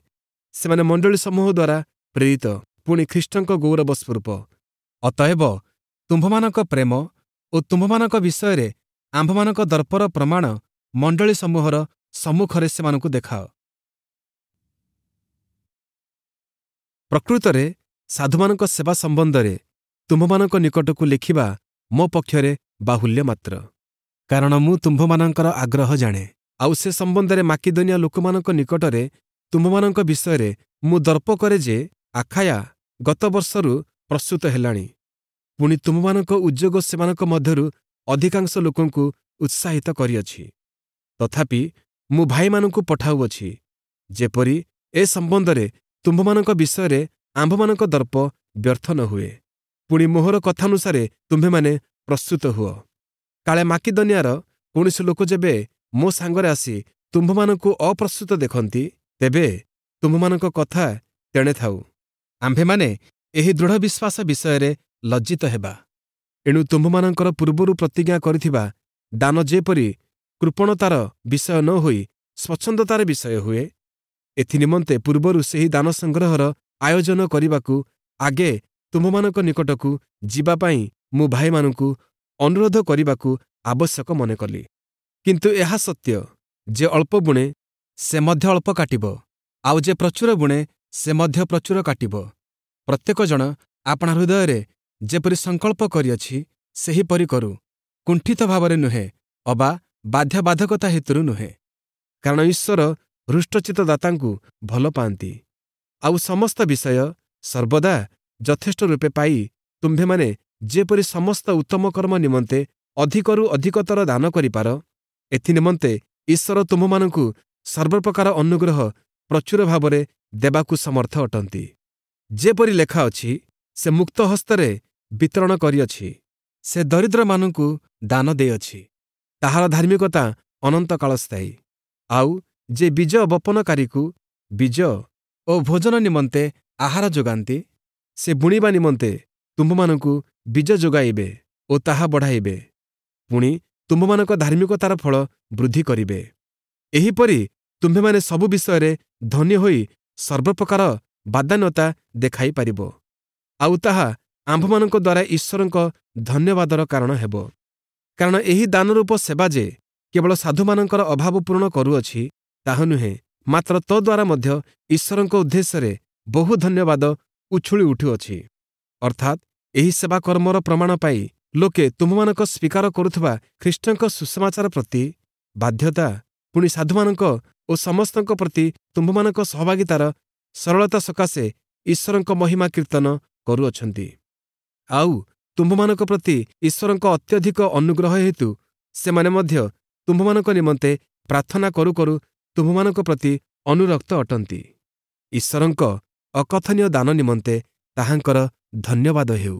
ସେମାନେ ମଣ୍ଡଳୀ ସମୂହ ଦ୍ୱାରା ପ୍ରେରିତ, ପୁଣି ଖ୍ରୀଷ୍ଟଙ୍କ ଗୌରବ ସ୍ୱରୂପ। ଅତଏବ ତୁମ୍ଭମାନଙ୍କ ପ୍ରେମ ଓ ତୁମ୍ଭମାନଙ୍କ ବିଷୟରେ ଆମ୍ଭମାନଙ୍କ ଦର୍ପର ପ୍ରମାଣ ମଣ୍ଡଳୀ ସମୂହର ସମ୍ମୁଖରେ ସେମାନଙ୍କୁ ଦେଖାଅ। ପ୍ରକୃତରେ ସାଧୁମାନଙ୍କ ସେବା ସମ୍ବନ୍ଧରେ ତୁମ୍ଭମାନଙ୍କ ନିକଟକୁ ଲେଖିବା ମୋ ପକ୍ଷରେ ବାହୁଲ୍ୟ ମାତ୍ର। କାରଣ ମୁଁ ତୁମ୍ଭମାନଙ୍କର ଆଗ୍ରହ ଜାଣେ, ଆଉ ସେ ସମ୍ବନ୍ଧରେ ମାକିଦନିଆ ଲୋକମାନଙ୍କ ନିକଟରେ ତୁମ୍ଭମାନଙ୍କ ବିଷୟରେ ମୁଁ ଦର୍ପ କରେ ଯେ ଆଖାୟା ଗତ ବର୍ଷରୁ ପ୍ରସ୍ତୁତ ହେଲାଣି। ପୁଣି ତୁମ୍ଭମାନଙ୍କ ଉଦ୍ଯୋଗ ସେମାନଙ୍କ ମଧ୍ୟରୁ ଅଧିକାଂଶ ଲୋକଙ୍କୁ ଉତ୍ସାହିତ କରିଅଛି। ତଥାପି ମୁଁ ଭାଇମାନଙ୍କୁ ପଠାଉଅଛି, ଯେପରି ଏ ସମ୍ବନ୍ଧରେ ତୁମ୍ଭମାନଙ୍କ ବିଷୟରେ ଆମ୍ଭମାନଙ୍କ ଦର୍ପ ବ୍ୟର୍ଥ ନ ହୁଏ। ପୁଣି ମୋହର କଥାନୁସାରେ ତୁମ୍ଭେମାନେ ପ୍ରସ୍ତୁତ ହୁଅ। କାଳେ ମାକିଦନିଆର କୌଣସି ଲୋକ ଯେବେ ମୋ ସାଙ୍ଗରେ ଆସି ତୁମ୍ଭମାନଙ୍କୁ ଅପ୍ରସ୍ତୁତ ଦେଖନ୍ତି, ତେବେ ତୁମ୍ଭମାନଙ୍କ କଥା ତେଣେ ଥାଉ, ଆମ୍ଭେମାନେ ଏହି ଦୃଢ଼ ବିଶ୍ୱାସ ବିଷୟରେ ଲଜ୍ଜିତ ହେବା। ଏଣୁ ତୁମ୍ଭମାନଙ୍କର ପୂର୍ବରୁ ପ୍ରତିଜ୍ଞା କରିଥିବା ଦାନ ଯେପରି କୃପଣତାର ବିଷୟ ନ ହୋଇ ସ୍ୱଚ୍ଛନ୍ଦତାର ବିଷୟ ହୁଏ, ଏଥିନିମନ୍ତେ ପୂର୍ବରୁ ସେହି ଦାନ ସଂଗ୍ରହର ଆୟୋଜନ କରିବାକୁ ଆଗେ ତୁମ୍ଭମାନଙ୍କ ନିକଟକୁ ଯିବା ପାଇଁ ମୁଁ ଭାଇମାନଙ୍କୁ ଅନୁରୋଧ କରିବାକୁ ଆବଶ୍ୟକ ମନେ କଲି। କିନ୍ତୁ ଏହା ସତ୍ୟ, ଯେ ଅଳ୍ପ ବୁଣେ ସେ ମଧ୍ୟ ଅଳ୍ପ କାଟିବ, ଆଉ ଯେ ପ୍ରଚୁର ବୁଣେ ସେ ମଧ୍ୟ ପ୍ରଚୁର କାଟିବ। ପ୍ରତ୍ୟେକ ଜଣ ଆପଣା ହୃଦୟରେ ଯେପରି ସଂକଳ୍ପ କରିଅଛି ସେହିପରି କରୁ, କୁଣ୍ଠିତ ଭାବରେ ନୁହେଁ ଅବା ବାଧ୍ୟବାଧକତା ହେତୁରୁ ନୁହେଁ। କାରଣ ଈଶ୍ୱର ହୃଷ୍ଟଚିତ୍ତ ଦାତାଙ୍କୁ ଭଲ ପାଆନ୍ତି। ଆଉ ସମସ୍ତ ବିଷୟ ସର୍ବଦା ଯଥେଷ୍ଟ ରୂପେ ପାଇ ତୁମ୍ଭେମାନେ ଯେପରି ସମସ୍ତ ଉତ୍ତମ କର୍ମ ନିମନ୍ତେ ଅଧିକରୁ ଅଧିକତର ଦାନ କରିପାର, ଏଥିନିମନ୍ତେ ଈଶ୍ୱର ତୁମ୍ଭମାନଙ୍କୁ ସର୍ବପ୍ରକାର ଅନୁଗ୍ରହ ପ୍ରଚୁର ଭାବରେ ଦେବାକୁ ସମର୍ଥ ଅଟନ୍ତି। ଯେପରି ଲେଖା ଅଛି, ସେ ମୁକ୍ତ ହସ୍ତରେ ବିତରଣ କରିଅଛି, ସେ ଦରିଦ୍ରମାନଙ୍କୁ ଦାନ ଦେଇଅଛି, ତାହାର ଧାର୍ମିକତା ଅନନ୍ତକାଳ ସ୍ଥାୟୀ। ଆଉ ଯେ ବୀଜ ବପନକାରୀକୁ ବୀଜ ଓ ଭୋଜନ ନିମନ୍ତେ ଆହାର ଯୋଗାନ୍ତି, ସେ ବୁଣିବା ନିମନ୍ତେ ତୁମ୍ଭମାନଙ୍କୁ ବୀଜ ଯୋଗାଇବେ ଓ ତାହା ବଢ଼ାଇବେ, ପୁଣି ତୁମ୍ଭମାନଙ୍କ ଧାର୍ମିକତାର ଫଳ ବୃଦ୍ଧି କରିବେ। ଏହିପରି ତୁମ୍ଭେମାନେ ସବୁ ବିଷୟରେ ଧନୀ ହୋଇ ସର୍ବପ୍ରକାର ବଦାନ୍ୟତା ଦେଖାଇ ପାରିବ, ଆଉ ତାହା ଆମ୍ଭମାନଙ୍କ ଦ୍ୱାରା ଈଶ୍ୱରଙ୍କ ଧନ୍ୟବାଦର କାରଣ ହେବ। କାରଣ ଏହି ଦାନରୂପ ସେବା ଯେ କେବଳ ସାଧୁମାନଙ୍କର ଅଭାବ ପୂରଣ କରୁଅଛି ତାହା ନୁହେଁ, ମାତ୍ର ତଦ୍ୱାରା ମଧ୍ୟ ଈଶ୍ୱରଙ୍କ ଉଦ୍ଦେଶ୍ୟରେ ବହୁ ଧନ୍ୟବାଦ ଉଛୁଳି ଉଠୁଅଛି। ଅର୍ଥାତ୍ ଏହି ସେବା କର୍ମର ପ୍ରମାଣ ପାଇ ଲୋକେ ତୁମ୍ଭମାନଙ୍କ ସ୍ୱୀକାର କରୁଥିବା ଖ୍ରୀଷ୍ଟଙ୍କ ସୁସମାଚାର ପ୍ରତି ବାଧ୍ୟତା, ପୁଣି ସାଧୁମାନଙ୍କ ଓ ସମସ୍ତଙ୍କ ପ୍ରତି ତୁମ୍ଭମାନଙ୍କ ସହଭାଗିତାର ସରଳତା ସକାଶେ ଈଶ୍ୱରଙ୍କ ମହିମା କୀର୍ତ୍ତନ କରୁଅଛନ୍ତି। ଆଉ, ତୁମ୍ଭମାନଙ୍କ ପ୍ରତି ଈଶ୍ୱରଙ୍କ ଅତ୍ୟଧିକ ଅନୁଗ୍ରହ ହେତୁ ସେମାନେ ମଧ୍ୟ ତୁମ୍ଭମାନଙ୍କ ନିମନ୍ତେ ପ୍ରାର୍ଥନା କରୁ କରୁ ତୁମ୍ଭମାନଙ୍କ ପ୍ରତି ଅନୁରକ୍ତ ଅଟନ୍ତି। ଈଶ୍ୱରଙ୍କ ଅକଥନୀୟ ଦାନ ନିମନ୍ତେ ତାହାଙ୍କର ଧନ୍ୟବାଦ ହେଉ।